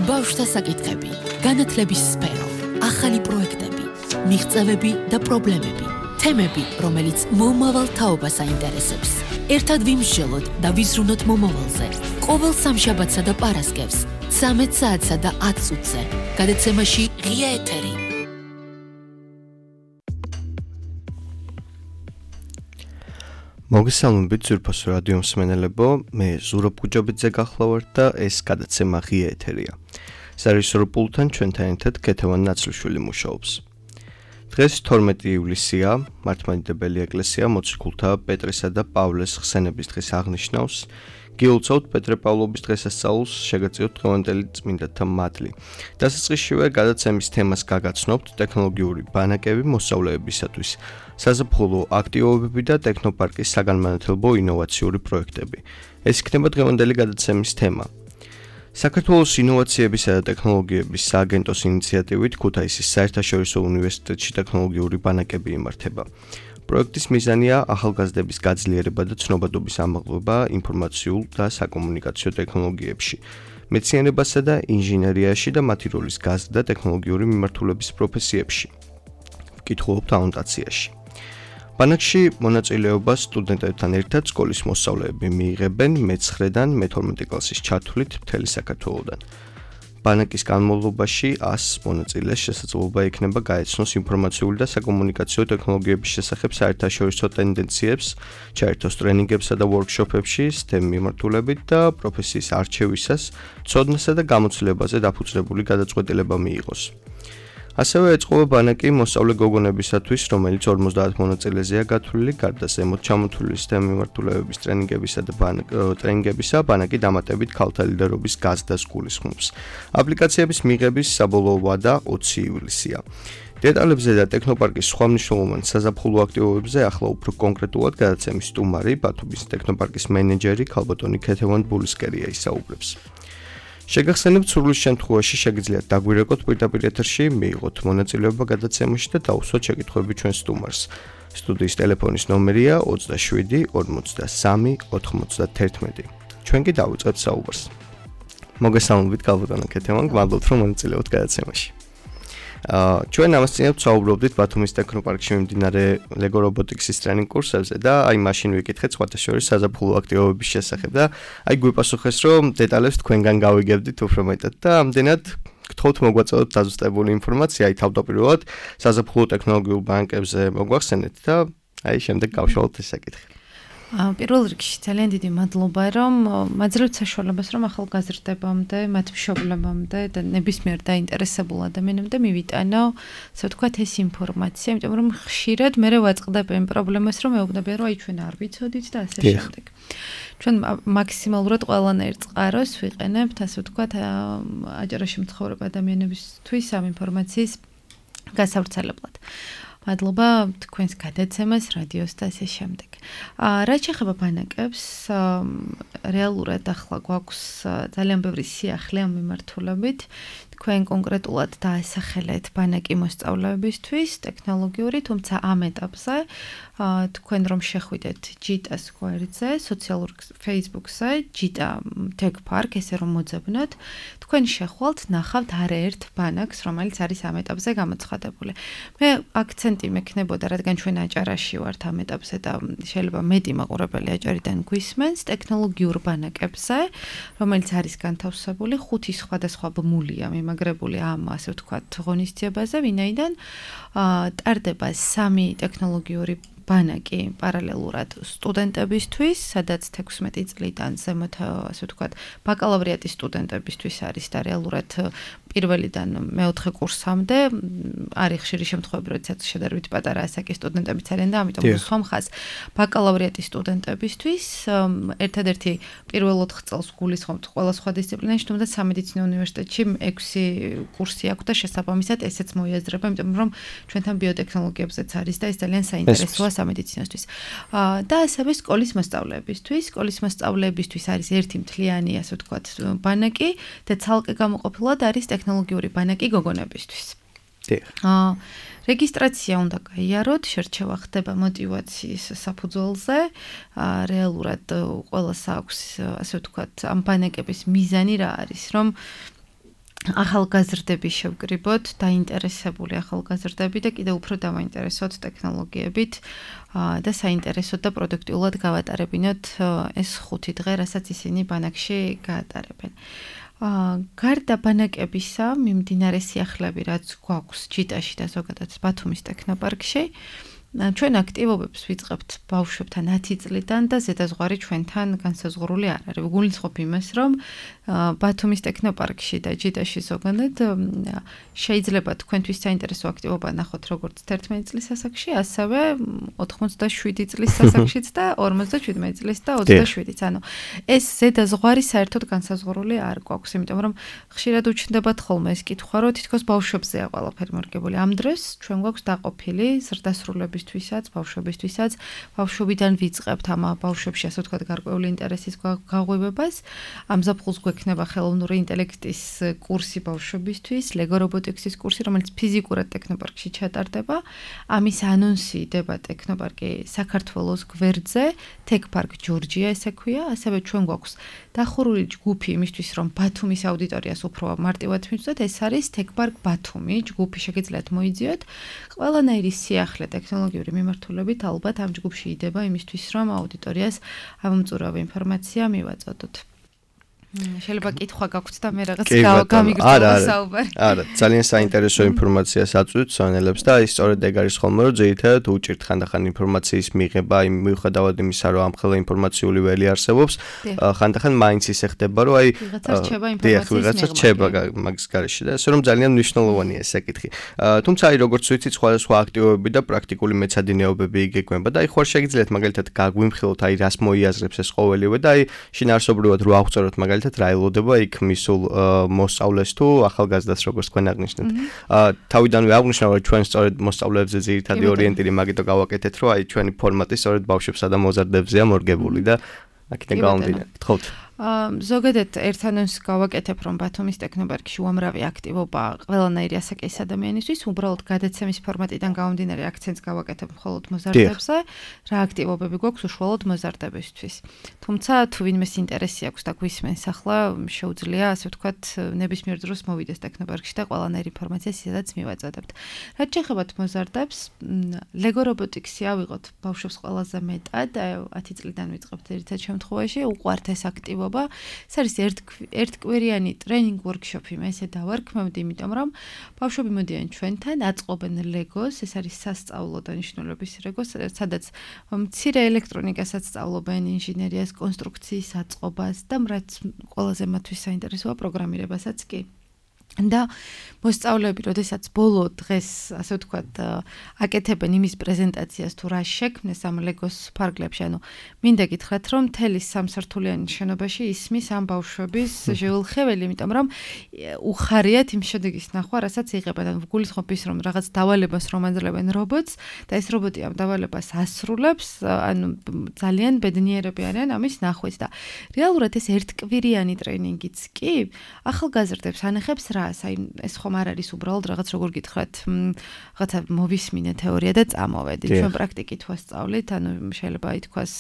ბავშვთა საკითხები, განათლების სფერო, ახალი პროექტები, მიღწევები და პრობლემები, თემები, რომელიც მომავალ თაობას აინტერესებს. ერთად ვიმსჯელოთ და ვიზრუნოთ მომავალზე. ყოველ სამშაბათსა და პარასკევს, 13 საათსა და 10 წუთზე. გადაცემაში ღია ეთერი. მოგესალმებით ძვირფასო რადიო მსმენელებო, მე ზურაბ გუჯაბიძე გახლავართ და ეს გადაცემა ღია ეთერია. სარეჟისორო პულტთან ჩვენთან ერთად ქეთევან ნაცლიშვილი მუშაობს. დღეს 12 ივლისია, მართლმადიდებელი ეკლესია მოციქულთა პეტრესა და პავლეს ხსენების დღეს აღნიშნავს. გილოცავთ პეტრე პავლობის დღესასწაულს, შეგეწიოთ დღევანდელი წმინდათა მადლი. დასაწყისშივე გადაცემის თემას გაგაცნობთ ტექნოლოგიური ბანაკები მოსწავლეებისათვის, საზაფხულო აქტივობები და ტექნოპარკის საგანმანათლებლო ინოვაციური პროექტები. ეს იქნება დღევანდელი გადაცემის თემა. საქართველოს ინოვაციებისა და ტექნოლოგიების სააგენტოს ინიციატივით ქუთაისის საერთაშორისო უნივერსიტეტში ტექნოლოგიური ბანაკები იმართება. პროექტის მიზანია ახალგაზრდების გაძლიერება და ცნობადობის ამაღლება ინფორმაციულ და საკომუნიკაციო ტექნოლოგიებში, მეცნიერებასა და ინჟინერიაში და მათი როლის გაზრდა ტექნოლოგიური მიმართულების პროფესიებში. ვკითხულობთ ანოტაციაში. ბანაკში მონაწილეობას სტუდენტებთან ერთად სკოლის მოსწავლეები მიიღებენ მე-9-დან მე-12 კლასის ჩათვლით მთელი საქართველოდან. ბანაკის განმავლობაში 100 მონაწილეს შესაძლებლობა ექნება გაეცნოს ინფორმაციული და საკომუნიკაციო ტექნოლოგიების შესახებ საერთაშორისო ტენდენციებს, ჩაერთოს ტრენინგებსა და ვორქშოპებში STEM მიმართულებით და პროფესიის არჩევისას, ცოდნასა და გამოცდილებაზე დაფუძნებული გადაწყვეტილება მიიღოს. ასევე ეწყობა ბანაკი მოსწავლე გოგონებისათვის, რომელიც 50 მონაწილეზეა გათვლილი, გარდა ზემოთ ჩამოთვლილი STEM მიმართულებების ტრენინგებისა, ბანაკი დამატებით ქალთა ლიდერობის გაზრდას გულისხმობს. აპლიკაციების მიღების საბოლოო ვადა 20 ივლისია. დეტალებზე და ტექნოპარკის სხვა მნიშვნელოვან საზაფხულო აქტივობებზე ახლა უფრო კონკრეტულად გადაცემის სტუმარი, ბათუმის ტექნოპარკის მენეჯერი ქალბატონი ქეთევან ბულისკერია ისაუბრებს. შეგახსენებთ, სურვილის შემთხვევაში შეგიძლიათ დაგვირეკოთ პირდაპირ ეთერში, მიიღოთ მონაწილეობა გადაცემაში და დაუსვათ შეკითხვები ჩვენ სტუმარს. სტუდიის ტელეფონის ნომერია 27 43 91. ჩვენ კი დავიწყებთ საუბარს. მოგესალმებით ქალბატონო ქეთევან, გმადლობთ რომ მონაწილეობთ გადაცემაში. ჩვენ ამასწინებთ საუბრობდით ბათუმის ტექნოპარკში მიმდინარე ლეგო რობოტიკსის ტრენინგ კურსებზე და აი მაშინ ვიკითხეთ სხვათა შორის საზაფხულო აქტივობების შესახებ და აი გვიპასუხეს რომ დეტალებს თქვენგან გავიგებდით უფრო მეტად და ამდენად გთხოვთ მოგვაწოდოთ დაზუსტებული ინფორმაცია აი თავდაპირველად საზაფხულო ტექნოლოგიურ ბანკებზე მოგვახსენეთ და აი შემდეგ გავშალოთ ეს საკითხი. პირველ რიგში ძალიან დიდი მადლობა რომ მაძლევთ საშუალებას რომ ახალგაზრდებამდე, მათ მშობლებამდე და ნებისმიერ დაინტერესებულ ადამიანამდე მივიტანო, ასე ვთქვათ, ეს ინფორმაცია, იმიტომ რომ ხშირად მე ვაწყდებ იმ პრობლემას რომ მეუბნებიან რომ აი ჩვენ არ ვიცოდით და ასე შემდეგ. ჩვენ მაქსიმალურად ყველანაირ წყაროს ვიყენებთ, ასე ვთქვათ, აჭარაში მცხოვრებ ადამიანებისთვის ამ ინფორმაციის გასავრცელებლად. მადლობა თქვენს გადაცემას, რადიოს და ასე შემდეგ. რაც შეეხება ბანაკებს, რეალურად ახლა გვაქვს ძალიან ბევრი სიახლე ამ მიმართულებით. თქვენ კონკრეტულად დაასახელეთ ბანაკი მოსწავლეებისთვის, ტექნოლოგიური, თუმცა ამ ეტაპზე თქვენ რომ შეხვიდეთ ჯიტას გვერდზე, სოციალურ Facebook-ზე, ჯიტა Tech Park, ესე რომ მოძებნოთ, თქვენ შეხვალთ, ნახავთ არაერთ ბანაკს, რომელიც არის ამ ეტაპზე გამოცხადებული. მე აქცენტი მექნებოდა, რადგან ჩვენ აჭარაში ვართ ამ ეტაპზე და შეიძლება მეტი მაყურებელი აჭარიდან გვისმენს, ტექნოლოგიურ ბანაკებზე, რომელიც არის განთავსებული 5 სხვადასხვა ბმულია მიმაგრებული ამ, ასე ვთქვათ, ღონისძიებაზე, ვინაიდან ტარდება 3 ტექნოლოგიური ბანაკი პარალელურად სტუდენტებისთვის, სადაც 16 წლიდან ზემოთ, ასე ვთქვათ, ბაკალავრიატის სტუდენტებისთვის არის და რეალურად პირველიდან მეოთხე კურსამდე არის ხშირი შემთხვევები, როდესაც შედარებით პატარა ასაკის სტუდენტებიც არიან და ამიტომ სხვა მხარეს ბაკალავრიატის სტუდენტებისთვის ერთადერთი პირველ 4 წელს გულისხმობთ ყველა სხვა დისციპლინაში, თუმცა სამედიცინო უნივერსიტეტში 6 კურსი აქვს და შესაბამისად ესეც მოიაზრება, იმიტომ რომ ჩვენთან ბიოტექნოლოგიებზეც არის და ეს ძალიან საინტერესოა სამედიცინოსთვის. და ასევე სკოლის მოსწავლეებისთვის არის ერთი მთლიანი, ასე ვთქვათ, ბანაკი და ცალკე გამოყოფილად არის ტექნოლოგიური ბანაკი გოგონებისთვის. რეგისტრაცია უნდა გაიაროთ, შერჩევა ხდება мотиваციის საფუძველზე. რეალურად ყველას აქვს, ასე ვთქვათ, ამ ბანაკების მიზანი რა არის, რომ ახალგაზრდები შევკრიბოთ, დაინტერესებული ახალგაზრდები და კიდევ უფრო დავაინტერესოთ ტექნოლოგიებით და საინტერესოდ და პროდუქტიულად გავატარებინოთ ეს 5 დღე, რასაც ისინი ბანაკში გაატარებენ. გარდა ბანაკებისა, მიმდინარე სიახლეები, რაც გვაქვს ჯიტაში და ზოგადად ბათუმის ტექნოპარკში, ჩვენ აქტივობებს ვიწყებთ ბავშვებთან 10 წლიდან და ზედაზღვარი ჩვენთან განსაზღვრული არ არის. ვგულისხმობ იმას, რომ ბათუმის ტექნოპარკში და ჯიტაში ზოგადად შეიძლება თქვენთვის საინტერესო აქტივობა ნახოთ როგორც 11 წლის ასაკში, ასევე 87 წლის ასაკშიც და 57 წლის და 27-იც. ანუ ეს ზედაზღვარი საერთოდ განსაზღვრული არ გვაქვს, იმიტომ რომ ხშირად უჩნდებათ ხოლმე ეს კითხვა, რომ თითქოს ბავშვებზეა ყველაფერი მორგებული. ამ დროს ჩვენ გვაქვს დაყოფილი ზრდასრულებისთვისაც, ბავშვებისთვისაც, ბავშვობიდან ვიწყებთ ამ ბავშვებში, ასე ვთქვათ, გარკვეული ინტერესის გაღვივებას. ამ ზაფხულს გვექნება ხელოვნური ინტელექტის კურსი ბავშვებისთვის, ლეგო რობოტიქსის კურსი, რომელიც ფიზიკურად ტექნოპარკში ჩატარდება. ამის ანონსი იდება ტექნოპარკი საქართველოს გვერდზე, ტექპარკ ჯორჯია ესე ქვია, ასევე ჩვენ გვაქვს დახურული ჯგუფი იმისთვის, რომ ბათუმის აუდიტორიას უფრო მარტივად მივწვდეთ, ეს არის ტექპარკ ბათუმი, ჯგუფი შეგიძლიათ მოიძიოთ. ყველანაირი სიახლე ტექნოლოგიური მიმართულებით ალბათ ამ ჯგუფში იდება იმისთვის, რომ აუდიტორიას ამომწურავი ინფორმაცია მივაწოდოთ. შეიძლება კითხვა გაქვთ და მე რაღაც გამიგრძელო საუბარი. არა, ძალიან საინტერესო ინფორმაციას აწვდით სვანელებს და ის სწორედ ეგ არის ხოლმე, რომ ძირითადად უჭირთ ხანდახან ინფორმაციის მიღება, მიუხედავად იმისა, რომ ამხელა ინფორმაციული ველი არსებობს, ხანდახან მაინც ისე ხდება, რომ აი ვიღაცა რჩება მაგის გარეშე და ასე რომ ძალიან მნიშვნელოვანია ეს საკითხი. თუმცა აი როგორც ვიცით, სხვადასხვა აქტივობები და პრაქტიკული მეცადინეობები იგეგმება და აი ხوار შეგიძლიათ მაგალითად გაგვიმხილოთ აი რას მოიაზრებს ეს ყოველივე და აი შინაარსობრივად რო აღწეროთ მაგალითად რა ელოდება იქ მისულ მოსწავლეს თუ ახალგაზრდას როგორც თქვენ აღნიშნეთ. თავიდანვე აღნიშნავ რომ ჩვენ სწორედ მოსწავლეებზე ძირითადი ორიენტირი მაგიტო გავაკეთეთ რომ აი ჩვენი ფორმატი სწორედ ბავშვებსა და მოზარდებზეა მორგებული და აქედან გამომდინარე. გთხოვთ. ზოგადად ერთ ანონსს გავაკეთებ, რომ ბათუმის ტექნოპარკში უამრავი აქტივობა ყველანაირი ასაკის ადამიანისთვის, უბრალოდ გადაცემის ფორმატიდან გამომდინარე აქცენტს გავაკეთებ მხოლოდ მოზარდებზე, რა აქტივობები გვაქვს უშუალოდ მოზარდებისთვის. თუმცა თუ ვინმეს ინტერესი აქვს და გვისმენს ახლა, შეუძლია, ასე ვთქვათ, ნებისმიერ დროს მოვიდეს ტექნოპარკში და ყველანაირი ინფორმაციას ისედაც მივაწოდებთ. რაც შეეხებათ მოზარდებს, ლეგო რობოტიქსი ავიღოთ ბავშვებს ყველაზე მეტად, 10 წლიდან ვიწყებთ ერთ შემთხვევაში, უყვართ ეს აქტივობა. ეს არის ერთკვირიანი ტრენინგ ვორქშოპი, მე ესე დავარქმევდი, იმიტომ რომ ბავშვები მოდიან ჩვენთან, აწყობენ ლეგოს, ეს არის სასწავლო დანიშნულების ლეგოს, სადაც მცირე ელექტრონიკასაც სწავლობენ, ინჟინერიას, კონსტრუქციის აწყობას და რაც ყველაზე მათთვის საინტერესოა პროგრამირებასაც კი. და მოსწავლეები, როდესაც ბოლო დღეს, ასე ვთქვათ, აკეთებენ იმის პრეზენტაციას თუ რა შექმნეს ამ ლეგოს ფარგლებში, ანუ მინდა გითხრათ, რომ მთელი სამსართულიანი შენობაში ისმის ამ ბავშვების ჟეულხეველი, იმიტომ რომ უხარიათ იმ შედეგის ნახვა, რასაც იღებენ. ანუ ვგულისხმობ ის, რომ რაღაც დავალებას რომ აძლევენ რობოტს და ეს რობოტი ამ დავალებას ასრულებს, ანუ ძალიან ბედნიერები არიან ამის ნახვით და რეალურად ეს ერთკვირიანი ტრენინგიც კი ახალგაზრდებს ანახებს რას, აი ეს ხომ არ არის უბრალოდ რაღაც როგორ გითხრათ, რაღაცა მოვისმინე თეორია და წამოვედი. ჩვენ პრაქტიკით ვასწავლით, ანუ შეიძლება ითქვას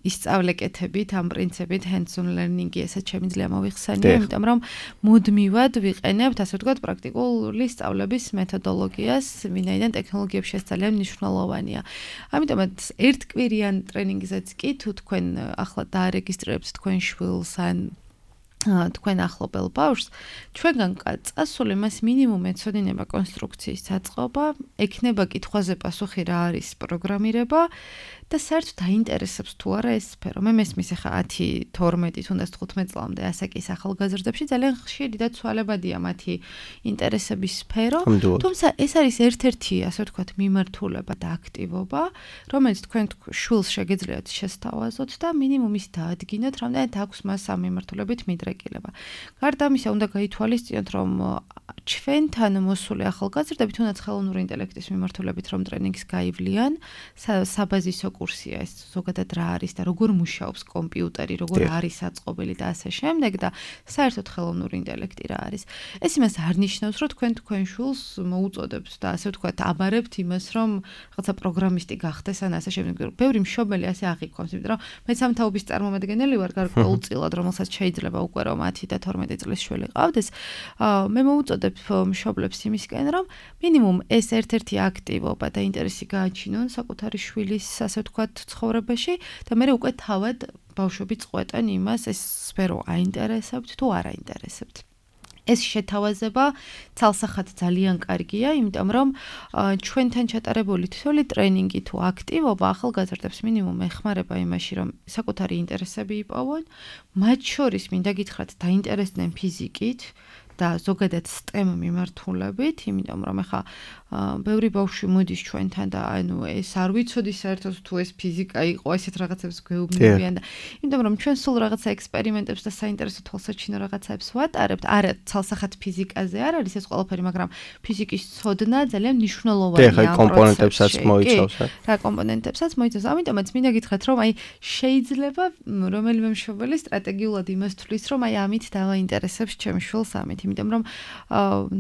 ისწავლეკეთებით, ამ პრინციპით hands-on learning-ი ესაც შემიძლია მოვიხსენიო, იმიტომ რომ მუდმივად ვიყენებთ, ასე ვთქვათ, პრაქტიკული სწავლების მეთოდოლოგიას, ვინაიდან ტექნოლოგიებში ეს ძალიან მნიშვნელოვანია. ამიტომაც ერთკვირიან ტრენინგზეც კი თუ თქვენ ახლა დაარეგისტრირებთ თქვენ შვილს ან თქვენ ახლობელ ბავშვს, ჩვენგან წასული მას მინიმუმ ეცოდინება კონსტრუქციის დაწყობა, ექნება კითხვაზე პასუხი რა არის პროგრამირება და საერთოდ აინტერესებს თუ არა ეს სფერო. მე მესმის ახლა 10, 12, თუნდაც 15 წლამდე ასაკის ახალგაზრდებში ძალიან ხშირი და ცვალებადია მათი ინტერესების სფერო, თუმცა ეს არის ერთ-ერთი, ასე ვთქვათ, მიმართულება და აქტივობა, რომელიც თქვენ შვილს შეგიძლიათ შესთავაზოთ და მინიმუმ ის დაადგინოთ, რამდენად აქვს მას ამ მიმართულებით მიდრეკილება. გარდა ამისა, უნდა გაითვალისწინოთ, რომ ჩვენთან მოსული ახალგაზრდები თუნდაც ხელოვნური ინტელექტის მიმართულებით რომ ტრენინგს გაივლიან, საბაზისო კურსია ეს ზოგადად რა არის და როგორ მუშაობს კომპიუტერი, როგორ არის აწყობილი და ასე შემდეგ და საერთოდ ხელოვნური ინტელექტი რა არის. ეს იმას არ ნიშნავს, რომ თქვენ შულს მოუწოდებთ და ასე ვთქვათ, აბარებთ იმას, რომ რაღაცა პროგრამისტი გახდეს ან ასე შემდეგ. ბევრი მშობელი ასე აღიქვამს, იმიტომ რომ მეც ამ თაობის წარმომადგენელი ვარ გარკვეულწილად, რომელსაც შეიძლება უკვე რომ 10 და 12 წლის შვილი ყავდეს. მე მოუწოდებ მშობლებს იმისკენ, რომ მინიმუმ ეს ერთ-ერთი აქტივობა და ინტერესი გააჩინონ საკუთარი შვილის, ასე ვთქვათ, ცხოვრებაში და მე უკვე თავად ბავშვები წყვეტენ იმას, ეს სფერო აინტერესებთ თუ არ აინტერესებთ. ეს შეთავაზება ცალსახად ძალიან კარგია, იმიტომ რომ ჩვენთან ჩატარებული თითოეული ტრენინგი თუ აქტივობა ახალგაზრდებს მინიმუმ ეხმარება იმაში, რომ საკუთარი ინტერესები იპოვონ, მათ შორის მინდა გითხრათ, დაინტერესდნენ ფიზიკით და ზოგადად STEM მიმართულებით, იმიტომ რომ ახლა ბევრი ბავშვი მოდის ჩვენთან და ანუ ეს არ ვიცოდი საერთოდ თუ ეს ფიზიკა იყო, ესეთ რაღაცებს გვეუბნებიან და იმიტომ რომ ჩვენ სულ რაღაცა ექსპერიმენტებს და საინტერესო თვალსაჩინო რაღაცებს ვატარებთ, არა ცალსახად ფიზიკაზე არ არის ეს ყველაფერი, მაგრამ ფიზიკის ცოდნა ძალიან მნიშვნელოვანია ამ პროცესში. კომპონენტებსაც მოიცავს. რა კომპონენტებსაც მოიცავს. ამიტომაც მინდა გითხრათ, რომ აი შეიძლება რომელიმე მშობელი სტრატეგიულად იმას თვლის, რომ აი ამით დავაინტერესებს ჩემ შვილს ამით, იმიტომ რომ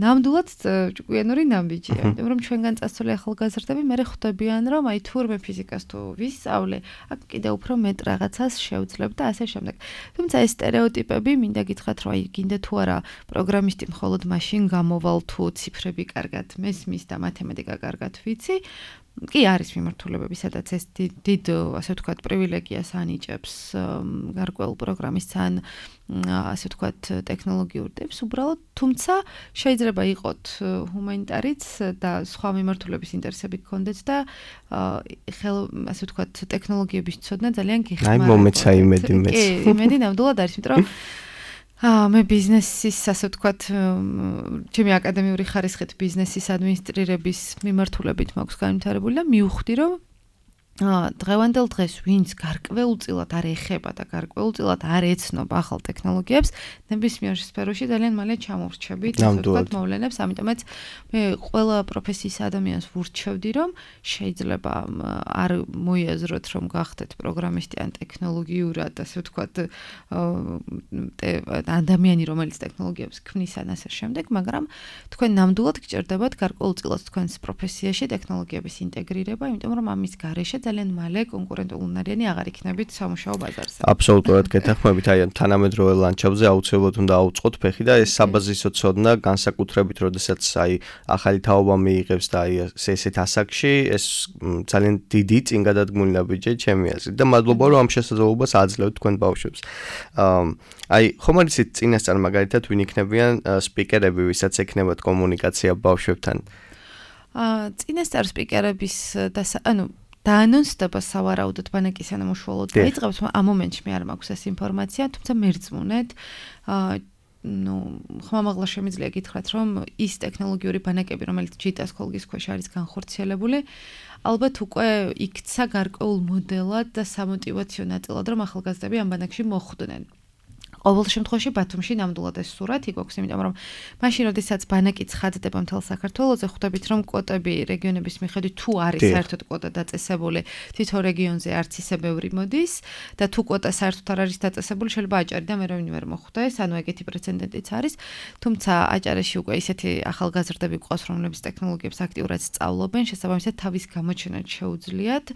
ნამდვილად ჭკვიანური ნაბიჯია. იმიტომ რომ ჩვენგან წასული ახალგაზრდები მე ხვდებიან, რომ აი თურმე ფიზიკას თუ ვისწავლე, აქ კიდე უფრო მეტ რაღაცას შევძლებ და ასე შემდეგ. თუმცა ეს სტერეოტიპები მინდა გითხრათ, რომ აი გინდა თუ არა პროგრამისტი მხოლოდ მაშინ გამოვალ თუ ციფრები კარგად მესმის და მათემატიკა კარგად ვიცი. კი არის მიმართულებები, სადაც ეს დიდ ასე ვთქვათ პრივილეგიას ანიჭებს გარკვეულ პროგრამისტს ან ასე ვთქვათ ტექნოლოგიურ ტიპს უბრალოდ, თუმცა შეიძლება იყოთ ჰუმანიტარიც და სხვა მიმართულების ინტერესები გქონდეთ და ასე ვთქვათ ტექნოლოგიების ცოდნა ძალიან გეხმარება. აი მომეცა იმედი მეც. კი, იმედი ნამდვილად არის, იმიტომ რომ მე ბიზნესის, ასე ვთქვათ, ჩემი აკადემიური ხარისხით ბიზნესის ადმინისტრირების მიმართულებით მაქვს განვითარებული და მივხვდი, რომ დღევანდელ დღეს ვინც გარკვეულწილად არ ეხება და გარკვეულწილად არ ეცნობა ახალ ტექნოლოგიებს, ნებისმიერ სფეროში ძალიან მალე ჩამორჩებით, ასე ვთქვათ, მოვლენებს. ამიტომაც მე ყველა პროფესიის ადამიანს ვურჩევდი, რომ შეიძლება არ მოიაზროთ, რომ გახდეთ პროგრამისტი ან ტექნოლოგიურად, ასე ვთქვათ, ადამიანი, რომელიც ტექნოლოგიებს ქმნის ან ასე შემდეგ, მაგრამ თქვენ ნამდვილად გჭირდებათ გარკვეულწილად თქვენს პროფესიაში ტექნოლოგიების ინტეგრირება, იმიტომ რომ ამის გარეშე ძალიან მალე კონკურენტულნარიანი აღარ იქნებით სამუშაო ბაზარზე. აბსოლუტურად გეთანხმებით, აი თანამედროვე ლანდშაფტზე აუცილებლად უნდა აუწყოთ ფეხი და ეს საბაზისო ცოდნა განსაკუთრებით, როდესაც აი ახალი თაობა მიიღებს და აი ესეთ ასაკში ეს ძალიან დიდი წინგადადგმული ნაბიჯია ჩემი აზრით და მადლობა რომ ამ შესაძლებლობას აძლევთ თქვენ ბავშვებს. აი ხომ არ იცით წინასწარ მაგალითად ვინ იქნებიან სპიკერები, ვისაც ექნებათ კომუნიკაცია ბავშვებთან? წინასწარ სპიკერების დაანონსდება სავარაუდოდ ბანაკის სანამუშავალოდ დაიწყებს, ამ მომენტში მე არ მაქვს ეს ინფორმაცია, თუმცა მერწმუნეთ, ხმამაღლა შემიძლია გითხრათ, რომ ის ტექნოლოგიური ბანაკები, რომელიც ჯიტას ქოლგის ქვეშ არის განხორციელებული, ალბათ უკვე იქცა გარკვეულ მოდელად და სამოტივაციო ნაწილად, რომ ახალგაზრდები ამ ბანაკში მოხვდნენ. ყოველ შემთხვევაში ბათუმში ნამდვილად ეს სურათი გვაქვს, იმიტომ რომ მაშინ როდესაც ბანაკი ცხადდება მთელ საქართველოზე, ხვდებით რომ კვოტები რეგიონების მიხედვით თუ არის საერთოდ კვოტა დაწესებული, თითო რეგიონზე არც ისე ბევრი მოდის და თუ კვოტა საერთოდ არ არის დაწესებული, შეიძლება აჭარი და მე რა ვინ ვერ მოხვდეს, ანუ ეგეთი პრეცედენტიც არის, თუმცა აჭარაში უკვე ისეთი ახალგაზრდები გვყავს, რომლებიც ტექნოლოგიებს აქტიურად სწავლობენ, შესაბამისად თავის გამოჩენად შეუძლიათ,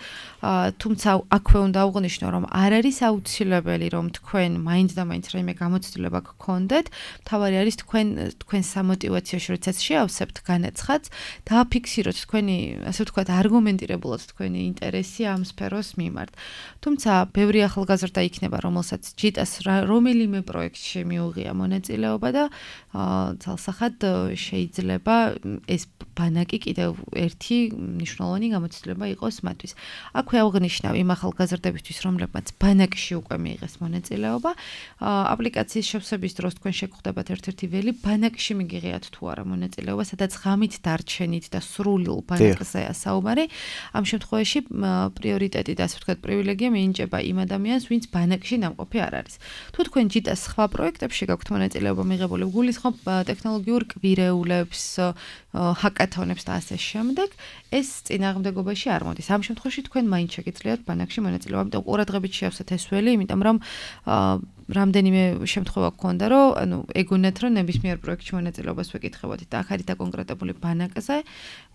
თუმცა აქვე უნდა აღვნიშნო, რომ არ არის აუცილებელი, რომ თქვენ მაინც და მაინც რაიმე გამოცდილება გქონდეთ, თავარი არის თქვენ სამოტივაციოში, როდესაც შეავსებთ განაცხადს, დააფიქსიროთ თქვენი, ასე ვთქვათ, არგუმენტირებულად თქვენი ინტერესი ამ სფეროს მიმართ. თუმცა, ბევრი ახალგაზრდა იქნება, რომელსაც ჯიტას რომელიმე პროექტში მიუღია მონაწილეობა და ცალსახად შეიძლება ეს ბანაკი კიდევ ერთი მნიშვნელოვანი გამოცდილება იყოს მათთვის. აქვე აღვნიშნავ იმ ახალგაზრდებისთვის, რომლებმაც ბანაკში უკვე მიიღეს მონაწილეობა, აპლიკაციის შევსების დროს თქვენ შეგხვდებათ ერთ-ერთი ველი, ბანაკში მიგიღიათ თუ არა მონაწილეობა, სადაც ღამით დარჩენით და სრულიულ ბანაკზეა საუბარი. ამ შემთხვევაში პრიორიტეტი და ასე ვთქვათ, პრივილეგია მიენიჭება იმ ადამიანს, ვინც ბანაკში ნამყოფი არ არის. თუ თქვენ ჯიტას სხვა პროექტებში გაქვთ მონაწილეობა მიღებული, გულისხმობ ტექნოლოგიურ კვირეულებს, ჰაკათონებს და ასე შემდეგ, ეს წინააღმდეგობაში არ მოდის. ამ შემთხვევაში თქვენ მაინც შეგიძლიათ ბანაკში მონაწილეობა, ამიტომ ყურადღებით შევსეთ ეს ველი, იმიტომ რომ რამდენიმე შემთხვევა გქონდა, რომ ანუ ეგონათ, რომ ნებისმიერ პროექტში მონაწილეობას ვეკითხებოდით და აქ არის დაკონკრეტებული ბანაკზე,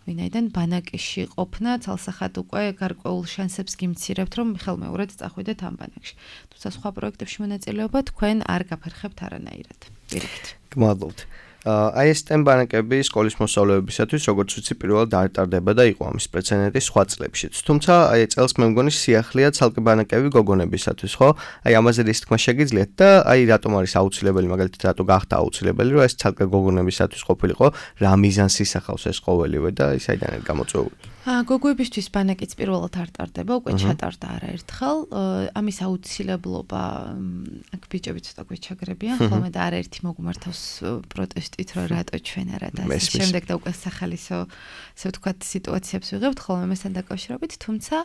ვინაიდან ბანაკში ყოფნა ცალსახად უკვე გარკვეულ შანსებს გიმცირებთ, რომ ხელმეორედ წახვიდეთ ამ ბანაკში. თუმცა სხვა პროექტებში მონაწილეობა თქვენ არ გაფერხებთ არანაირად. პირიქით. გმადლობთ. აი ეს STEM ბანაკები სკოლის მოსწავლეებისათვის როგორც ვიცი პირველად არ ტარდება და იყო ამის პრეცედენტი სხვა წლებშიც. თუმცა აი წელს მე მგონი სიახლეა ცალკე ბანაკები გოგონებისათვის, ხო? აი ამაზე რის თქმა შეგიძლიათ და აი რატომ არის აუცილებელი, მაგალითად რატო გახდა აუცილებელი, რომ ეს ცალკე გოგონებისათვის ყოფილიყო, რა მიზანს ისახავს ეს ყოველივე და საიდან არის გამოწვეული? გოგოებისთვის ბანაკიც პირველად არ ტარდება, უკვე ჩატარდა არაერთხელ. ამის აუცილებლობა აქ ბიჭები ცოტა გვეჩაგრებიან, ხოლმე და არაერთი მოგმართავს პროტესტით, რომ რატო ჩვენ არა და ასე შემდეგ და უკვე სახალისო, ასე ვთქვათ, სიტუაციებს ვიღებთ, ხოლმე მასთან დაკავშირებით, თუმცა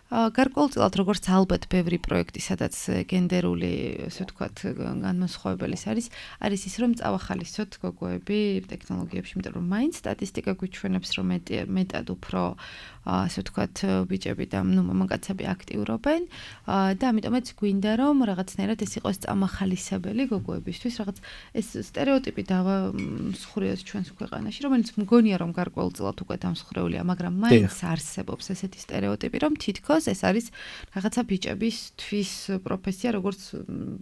გარკვეულწილად როგორც ალბათ ბევრი პროექტი, სადაც გენდერული, ასე ვთქვათ, განმასხვავებელის არის ის, რომ წავახალისოთ გოგოები ტექნოლოგიებში, იმიტომ რომ მაინც სტატისტიკა გვიჩვენებს, რომ მეტად უფრო ასე ვთქვათ, ბიჭები და მამაკაცები აქტიურობენ და ამიტომაც გვინდა რომ რაღაცნაირად ეს იყოს წამახალისებელი გოგოებისთვის, რაღაც ეს სტერეოტიპი დავამსხვრიოთ ჩვენს ქვეყანაში, რომელიც მგონია რომ გარკვეულწილად უკვე დამსხვრეულია, მაგრამ მაინც არსებობს ესეთი სტერეოტიპი, რომ თითქოს ეს არის რაღაცა ბიჭებისთვის პროფესია, როგორც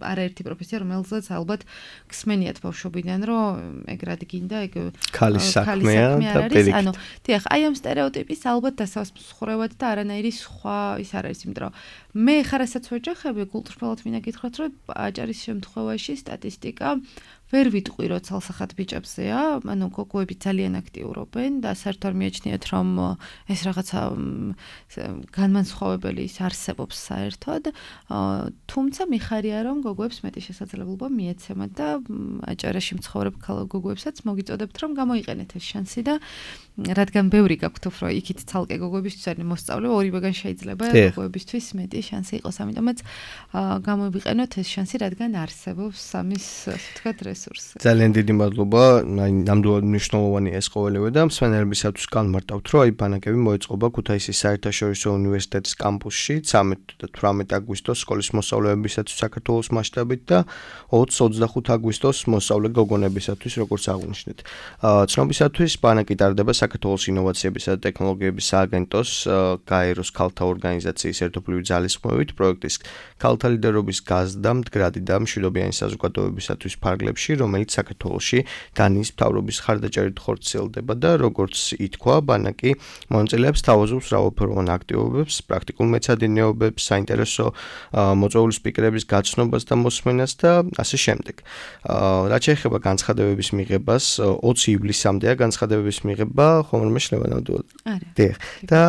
არაერთი პროფესია, რომელზეც ალბათ გსმენიათ ბავშვობიდან, რომ ეგ რად გინდა, ეგ ქალის საქმეა და პირიქით. ანუ დიახ, აი ამ სტერეოტიპის ალბათ დასასრულებლად და არანაირი სხვა ის არ არის, იმიტომ რომ მე ხარ რასაც ვეჯახები, კულტურულად მინდა გითხრათ, რომ აჭარის შემთხვევაში სტატისტიკა ვერ ვიტყვი, რომ ცალსახად ბიჭებზეა, ანუ გოგოები ძალიან აქტიურობენ და საერთოდ მიაჩნიათ, რომ ეს რაღაცა განმანცხოვებელი ის არსებობს საერთოდ, თუმცა მიხარია, რომ გოგოებს მეტი შესაძლებლობა მიეცემათ და აჭარაში მცხოვრებ გოგოებსაც მოგიწოდებთ, რომ გამოიყენეთ ეს შანსი და რადგან ბევრი გაქვთ უფრო იქით ცალკე გოგოებისთვის არის მოსწავლე, ორივეგან შეიძლება გოგოებისთვის მეტი შანსი იყოს, ამიტომაც გამოვიყენოთ ეს შანსი, რადგან არსებობს ამის, ასე ვთქვათ, რესურსი. ძალიან დიდი მადლობა, ნამდვილად მნიშვნელოვანია ეს ყოველივე და მსმენელებისათვის განმარტავთ, რომ აი ბანაკები მოეწყობა ქუთაისის საერთაშორისო უნივერსიტეტის კამპუსში 13 და 18 აგვისტოს სკოლის მოსწავლეებისათვის საქართველოს მასშტაბით და 20-25 აგვისტოს მოსწავლე გოგონებისათვის, როგორც აღნიშნეთ. ცნობისათვის ბანაკი ტარდება საქართველოს ინოვაციებისა და ტექნოლოგიების სააგენტოს გაეროს ქალთა ორგანიზაციის ერთობლივი ძალისხმევით პროექტის ქალთა ლიდერობის გაზრდა მდგრადი და მშვიდობიანი საზოგადოებისათვის ფარგლებში, რომელიც საქართველოში დანიის მთავრობის ხარდაჭერით ხორციელდება და როგორც ითქვა, ბანაკი მონაწილეებს თავაზობს მრავალფეროვან აქტივობებს, პრაქტიკულ მეცადინეობებს, საინტერესო მოწვეული სპიკერების გაცნობას და მოსმენას და ასე შემდეგ. რაც შეეხება განცხადებების მიღებას, 20 ივლისამდეა განცხადებების მიღება, ხომ შეიძლება ნამდვილად. დიახ. და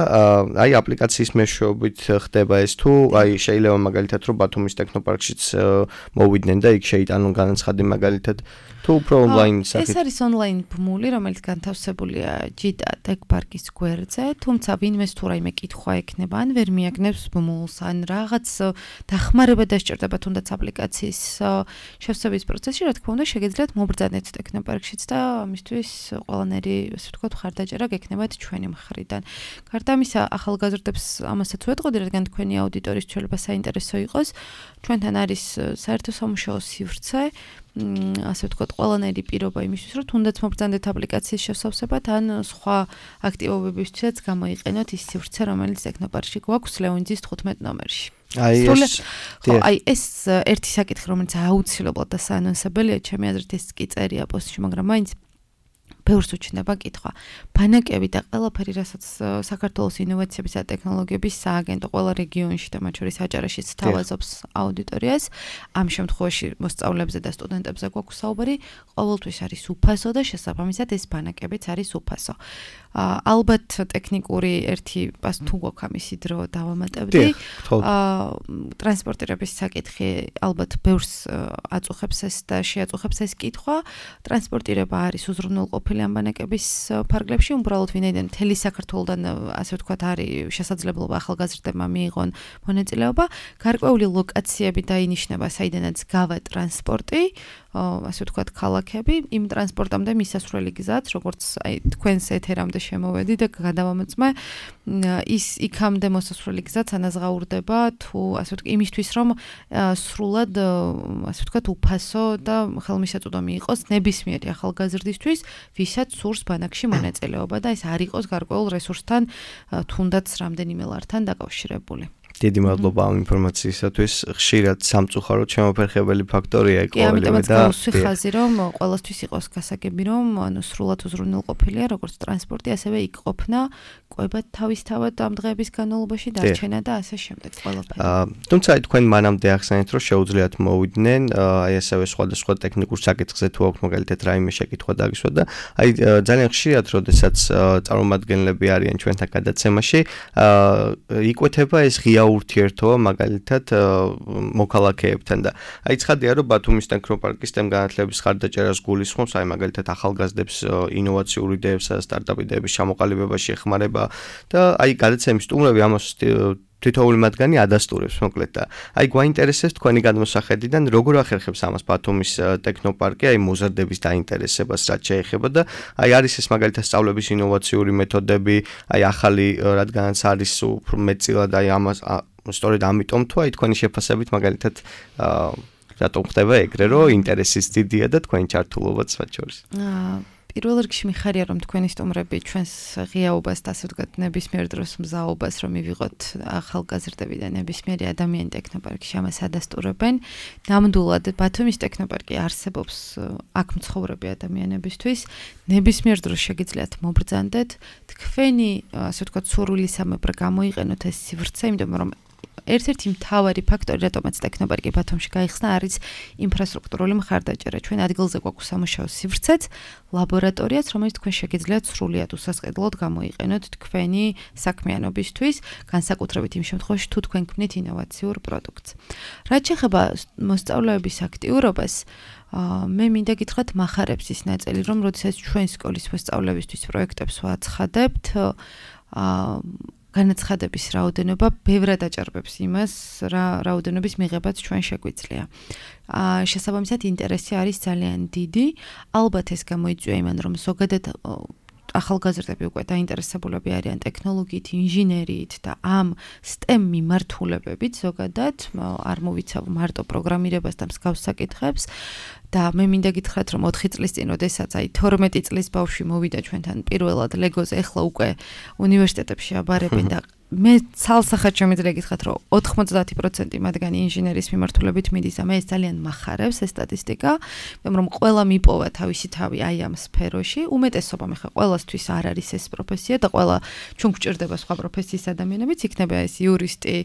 აი აპლიკაციის მეშვეობით ხდება ეს თუ აი შეიძლება მაგალითად რომ ბათუმის ტექნოპარკშიც მოვიდნენ და იქ შეიტანონ განაცხადი მაგალითად თუ უფრო ონლაინ ეს არის ონლაინ ბმული, რომელიც განთავსებულია ჯიტა ტექპარკის გვერდზე, თუმცა ვინმეს თუ რაიმე კითხვა ექნება, ან ვერ მიაგნებს ბმულს, ან რაღაც დახმარება დასჭირდება თუნდაც აპლიკაციის შევსების პროცესში, რა თქმა უნდა, შეგიძლიათ მობრძანეთ ტექნოპარკშიც და ამისთვის ყველანაირი, ასე ვთქვათ, ხარდაჭერა გექნებათ ჩვენი მხრიდან. გარდა ამისა, ახალგაზრდებს ამასაც ვეტყოდი, რადგან თქვენი აუდიტორიის ცვლილება საინტერესო იყოს, ჩვენთან არის საერთო სამუშაო სივრცე, ასე ვთქვათ, ყველანაირი პირობა იმისთვის, რომ თუნდაც მობრძანდეთ აპლიკაციის შესავსებად, ან სხვა აქტივობებისთვისაც გამოიყენოთ ის სივრცე, რომელიც ტექნოპარკში გვაქვს ლეონიძის 15 ნომერში. აი ეს ერთი საკითხი, რომელიც აუცილებლად და საანონსებელია, ჩემი აზრით ეს კი წერია პოსტში, მაგრამ მაინც ბევრს უჩნდება კითხვა. ბანაკები და ყველაფერი, რასაც საქართველოს ინოვაციების და ტექნოლოგიების სააგენტო ყველა რეგიონში და მათ შორის აჭარაშიც თავაზობს აუდიტორიას, ამ შემთხვევაში მოსწავლეებზე და სტუდენტებზე გვაქვს საუბარი, ყოველთვის არის უფასო და შესაბამისად ეს ბანაკებიც არის უფასო. ალბათ ტექნიკური ერთი თუ გვაქვს ამისი დრო დავამატებდი. ტრანსპორტირების საკითხი ალბათ ბევრს აწუხებს ეს და შეაწუხებს ეს კითხვა. ტრანსპორტირება არის უზრუნველყოფილი ამ ბანაკების ფარგლებში, უბრალოდ ვინაიდან მთელი საქართველოდან ასე ვთქვათ არის შესაძლებლობა ახალგაზრდებმა მიიღონ მონაწილეობა, გარკვეული ლოკაციები დაინიშნება, საიდანაც გავა ტრანსპორტი, ასე ვთქვათ ქალაქები, იმ ტრანსპორტამდე მისასვლელი გზაც, როგორც თქვენს ეთერამდე შემოვედი და გადავამოწმე, ის იქამდე მოსასვლელი გზაც ანაზღაურდება თუ ასე ვთქვათ იმისთვის რომ სრულად ასე ვთქვათ უფასო და ხელმისაწვდომი იყოს ნებისმიერი ახალგაზრდისთვის, ვისაც სურს ბანაკში მონაწილეობა და ეს არ იყოს გარკვეულ რესურსთან თუნდაც რამდენიმე ლართან დაკავშირებული. დიდი მადლობა ამ ინფორმაციისათვის. ხშირად სამწუხაროდ შემოფერხებელი ფაქტორია კი, ამიტომაც გავუსვი ხაზი, რომ ყველასთვის იყოს გასაგები, რომ სრულად უზრუნველყოფილია როგორც ტრანსპორტი, ასევე იქ ყოფნა, ყვება თავისთავად ამ დღეების განმავლობაში დარჩენა და ასე შემდეგ ყველაფერი. თუმცა თქვენ მანამდე ახსენეთ, რომ შეუძლიათ მოვიდნენ, ასევე სხვადასხვა ტექნიკურ საკითხზე თუ აქვს მაგალითად რაიმე შეკითხვა დაგისვა და ძალიან ხშირად, როდესაც წარმომადგენლები არიან ჩვენთან გადაცემაში, იკვეთება ეს ღია ურთიერთობა მაგალითად მოქალაქეებთან და ცხადია რომ ბათუმის ტექნოპარკის განათლების ხარდაჭერას გულისხმობს მაგალითად ახალგაზრდებს ინოვაციური იდეებსა და სტარტაპ იდეების ჩამოყალიბებაში ეხმარება და გადაცემის სტუმრები ამას თითოეული მათგანი ადასტურებს მოკლედ და გვაინტერესებს თქვენი გადმოსახედიდან როგორ ახერხებს ამას ბათუმის ტექნოპარკი მოზარდების დაინტერესებას რაც შეეხება და არის ეს მაგალითად სწავლების ინოვაციური მეთოდები ახალი რადგანაც არის უფრო მეტწილად ამას სწორედ ამიტომ თუ თქვენი შეფასებით მაგალითად რატომ ხდება ეგრე რომ ინტერესის დიდია და თქვენი ჩართულობაც მათ შორის პირველ რიგში მიხარია რომ თქვენი სტუმრები ჩვენს ღიაობას და ასე ვთქვათ ნებისმიერ დროს მზაობას რომ მივიღოთ ახალგაზრდები და ნებისმიერი ადამიანი ტექნოპარკში ამას ადასტურებენ. ნამდვილად ბათუმის ტექნოპარკი არსებობს აქ მცხოვრები ადამიანებისთვის. ნებისმიერ დროს შეგიძლიათ მობრძანდეთ. თქვენი ასე ვთქვათ სურვილისამებრ გამოიყენოთ ეს სივრცე, იმიტომ რომ ერთ-ერთი მთავარი ფაქტორი, რატომაც ტექნოპარკი ბათუმში გაიხსნა, არის ინფრასტრუქტურული მხარდაჭერა. ჩვენ ადგილზე გვაქვს სამუშაო სივრცეც, ლაბორატორიაც, რომელიც თქვენ შეგიძლიათ სრულიად უსასყიდლოდ გამოიყენოთ თქვენი საქმიანობისთვის, განსაკუთრებით იმ შემთხვევაში, თუ თქვენ ქმნით ინოვაციურ პროდუქტს. რაც შეეხება მოსწავლეების აქტიურობას, მე მინდა გითხრათ მახარებს ის ნაწილი, რომ როდესაც ჩვენ სკოლის მოსწავლეებისთვის პროექტებს ვაცხადებთ, განაცხადების რაოდენობა ბევრად აჭარბებს იმას, რა რაოდენობის მიღებაც ჩვენ შეგვიძლია. შესაბამისად ინტერესი არის ძალიან დიდი. ალბათ ეს გამოიწვია იმან, რომ ზოგადად ახალგაზრდები უკვე დაინტერესებულები არიან ტექნოლოგიით, ინჟინერიით და ამ STEM მიმართულებებით ზოგადად არ მოვიცავ მარტო პროგრამირებას და მსგავს საკითხებს. და მე მინდა გითხრათ, რომ 4 წლის წინ, როდესაც 12 წლის ბავშვი მოვიდა ჩვენთან პირველად ლეგოზე, ეხლა უკვე უნივერსიტეტებში აბარებენ და მე ცალსახად შემიძლია გითხრათ, რომ 90% მათგანი ინჟინერის მიმართულებით მიდის და მე ეს ძალიან მახარებს ეს სტატისტიკა, რომ ყველა მიპოვა თავისი თავი აი ამ სფეროში, უმეტესობამ ხა ყველასთვის არ არის ეს პროფესია და ყველა ჩვენ გვჭირდება სხვა პროფესიის ადამიანებიც, იქნება ეს იურისტი,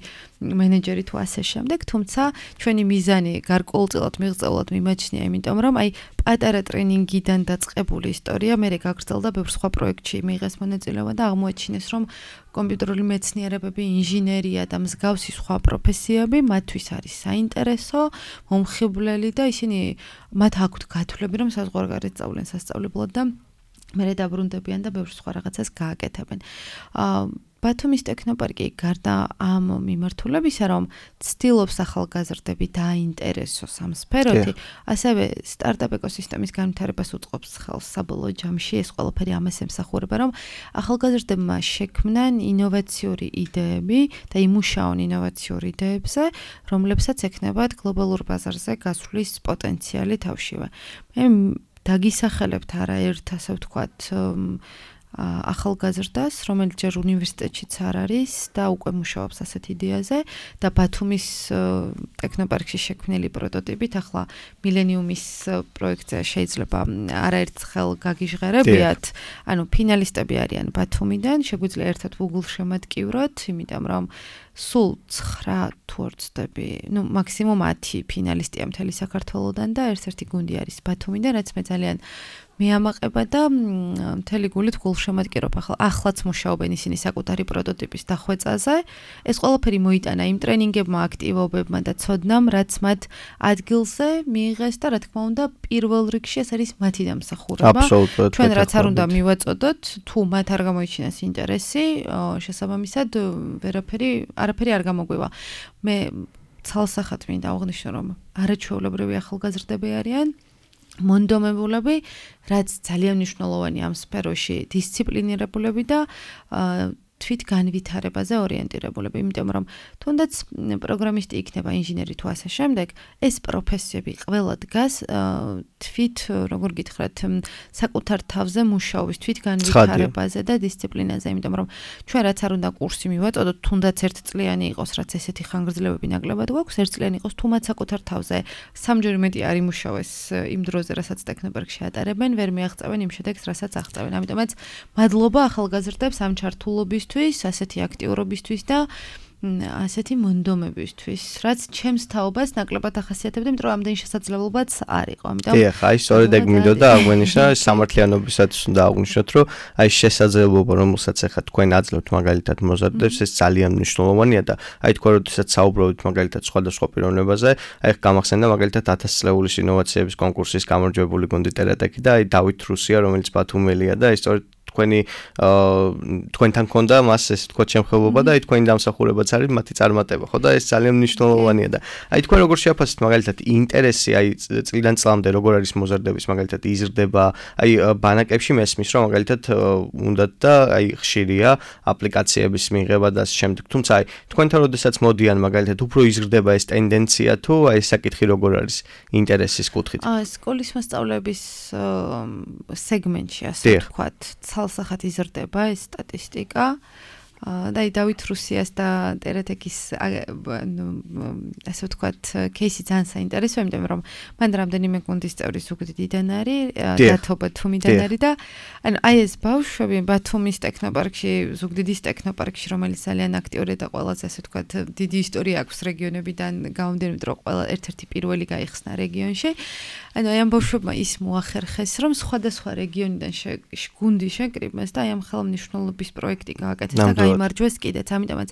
მენეჯერი თუ ასე შემდეგ, თუმცა ჩვენი მიზანი გარკვეულწილად მიღწეულად მიმაჩნია, იმიტომ რომ აი პატარა ტრენინგიდან დაწყებული ისტორია მე გაგრძელდა ბევრ სხვა პროექტში მიიღეს მონაწილეობა და აღმოაჩინეს, რომ კომპიუტერული მეცნიერებები, ინჟინერია და მსგავსი სხვა პროფესიები მათთვის არის საინტერესო, მომხიბვლელი და ისინი მათ აქვთ გათვლები, რომ საზღვარგარეთ სწავლენ სასწავლებლად და მერე დაბრუნდებიან და ბევრ სხვა რაღაცას გააკეთებენ. ბათუმის ტექნოპარკი გარდა ამ მიმართულებისა, რომ ცდილობს ახალგაზრდები დაინტერესოს ამ სფეროთი, ასევე სტარტაპ ეკოსისტემის განვითარებას უწყობს ხელს საბოლოო ჯამში, ეს ყველაფერი ამას ემსახურება, რომ ახალგაზრდებმა შექმნან ინოვაციური იდეები და იმუშაონ ინოვაციურ იდეებზე, რომლებსაც ექნებათ გლობალურ ბაზარზე გასვლის პოტენციალი თავშივე. მე დაგისახელებთ არაერთ, ასე ვთქვათ, ახალგაზრდას, რომელიც ჯერ უნივერსიტეტშიც არ არის და უკვე მუშაობს ასეთ იდეაზე და ბათუმის ტექნოპარკში შექმნილი პროტოტიპით ახლა მილენიუმის პროექტზე შეიძლება არაერთხელ გაგიჟღერებიათ, ანუ ფინალისტები არიან ბათუმიდან, შეგვიძლია ერთად Google შემატკივროთ, იმიტომ რომ სულ 9 თუ არ ვცდები, მაქსიმუმ 10 ფინალისტია მთელი საქართველოდან და ერთ-ერთი გუნდი არის ბათუმიდან, რაც მე ძალიან მეამაყება და მთელი გულით გულშემატკივრობ. ახლაც მუშაობენ ისინი საკუთარი პროტოტიპის დახვეწაზე. ეს ყველაფერი მოიტანა იმ ტრენინგებმა, აქტივობებმა და ცოდნამ, რაც მათ ადგილზე მიიღეს და რა თქმა უნდა, პირველ რიგში ეს არის მათი დამსახურება. ჩვენ რაც არ უნდა მივაწოდოთ, თუ მათ არ გამოიჩინეს ინტერესი, შესაბამისად არაფერი არ გამოგვივა. მე ცალსახად მინდა აღვნიშნო, რომ არაჩვეულებრივი ახალგაზრდები არიან. მონდომებულები, რაც ძალიან მნიშვნელოვანი ამ სფეროში, დისციპლინირებულები და თვით განვითარებაზე ორიენტირებულები, იმიტომ რომ თუნდაც პროგრამისტი იქნება, ინჟინერი თუ ასე შემდეგ, ეს პროფესიები ყველა დგას თვით, როგორ გითხრათ, საკუთარ თავზე მუშაობის, თვით განვითარებაზე და დისციპლინაზე, იმიტომ რომ ჩვენ რაც არ უნდა კურსი მივაწოდოთ, თუნდაც ერთწლიანი იყოს, რაც ესეთი ხანგრძლივები ნაკლებად გვაქვს, ერთწლიანი იყოს, თუ მათ საკუთარ თავზე სამჯერ მეტი არ იმუშავეს იმ დროზე, რასაც ტექნოპარკში ატარებენ, ვერ მიაღწევენ იმ შედეგს, რასაც აღწევენ. ამიტომაც მადლობა ახალგაზრდებს ამ ჩართულობის ასეთი აქტიურობისთვის და ასეთი მონდომებისთვის, რაც ჩემს თაობას ნაკლებად ახასიათებდა, იმიტომ რომ ამდენი შესაძლებლობაც არ იყო. ამიტომ აი, სწორედ ეგ მინდოდა აღვნიშნა, სამართლიანობისათვის უნდა აღვნიშნოთ, რომ აი შესაძლებლობა, რომელსაც ახლა თქვენ აძლევთ მაგალითად მოზარდებს, ეს ძალიან მნიშვნელოვანია და აი თქვენ როდესაც საუბრობთ მაგალითად სხვადასხვა პიროვნებაზე, აი გამახსენდა მაგალითად 1000 წლეულის ინოვაციების კონკურსის გამარჯვებული გუნდი ტერატექი და აი დავით რუსია, რომელიც ბათუმელია და აი სწორედ თქვენთან ქონდა მას ესე თქვა შემხელობა და აი თქვენი დამსახურებაც არის მათი წარმატება, ხო და ეს ძალიან მნიშვნელოვანია და აი თქვენ როგორ შეაფასეთ მაგალითად ინტერესი აი წლიდან წლამდე როგორ არის მოზარდების მაგალითად იზრდება, აი ბანაკებში მესმის რომ მაგალითად უნდათ და აი ხშირია აპლიკაციების მიღება და ამ შემდეგ, თუმცა აი თქვენთან როდესაც მოდიან მაგალითად უფრო იზრდება ეს ტენდენცია თუ აი საკითხი როგორ არის ინტერესის კუთხით? სკოლის მასწავლებლების სეგმენტში ასე ვთქვათ ცალსახად იზრდება ეს სტატისტიკა და დავით რუსიას და ტერატექის ასე ვთქვათ кейსი ძალიან საინტერესოა, იმიტომ რომ მან რამდენიმე გუნდის წევრი ზუგდიდიდან არის, დათო ბათუმიდან არის და ანუ აი ეს ბავშვები ბათუმის ტექნოპარკში, ზუგდიდის ტექნოპარკში, რომელიც ძალიან აქტიური და ყველაზე ასე ვთქვათ დიდი ისტორია აქვს რეგიონებიდან გამომდინარე, რომ ყველა ერთ-ერთი პირველი გაიხსნა რეგიონში. ანუ აი ამ ბავშვებმა ის მოახერხეს, რომ სხვადასხვა რეგიონიდან გუნდი შეკრიბეს და აი ამ ხელმძღვანელობის პროექტი გააკეთეს და გაიმარჯვეს კიდეც. ამიტომაც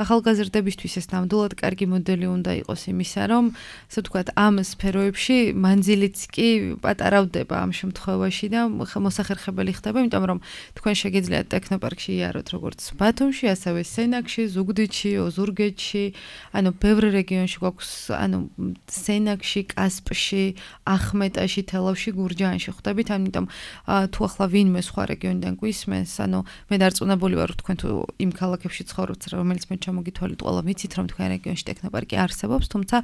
ახალგაზრდებისთვის ეს ნამდვილად კარგი მოდელი უნდა იყოს იმისა, რომ ასე ვთქვათ, ამ სფეროებში მანძილიც კი პატარავდება ამ შემთხვევაში და მოსახერხებელი ხდება, იმიტომ რომ თქვენ შეგიძლიათ ტექნოპარკში იაროთ როგორც ბათუმში, ასევე სენაკში, ზუგდიდში, ოზურგეთში, ანუ ბევრ რეგიონში გვაქვს, ანუ სენაკში, კასპში, ახმეტაში, თელავში, გურჯაანში ხვდებით, ამიტომ თუ ახლა ვინმე სხვა რეგიონიდან გვისმენს, ანუ მე დარწმუნებული ვარ, თქვენ თუ იმ ქალაქებში ცხოვრობთ, რომელიც მე ჩამოგითვალეთ, ყველა ვიცით, რომ თქვენ რეგიონში ტექნოპარკი არსებობს, თუმცა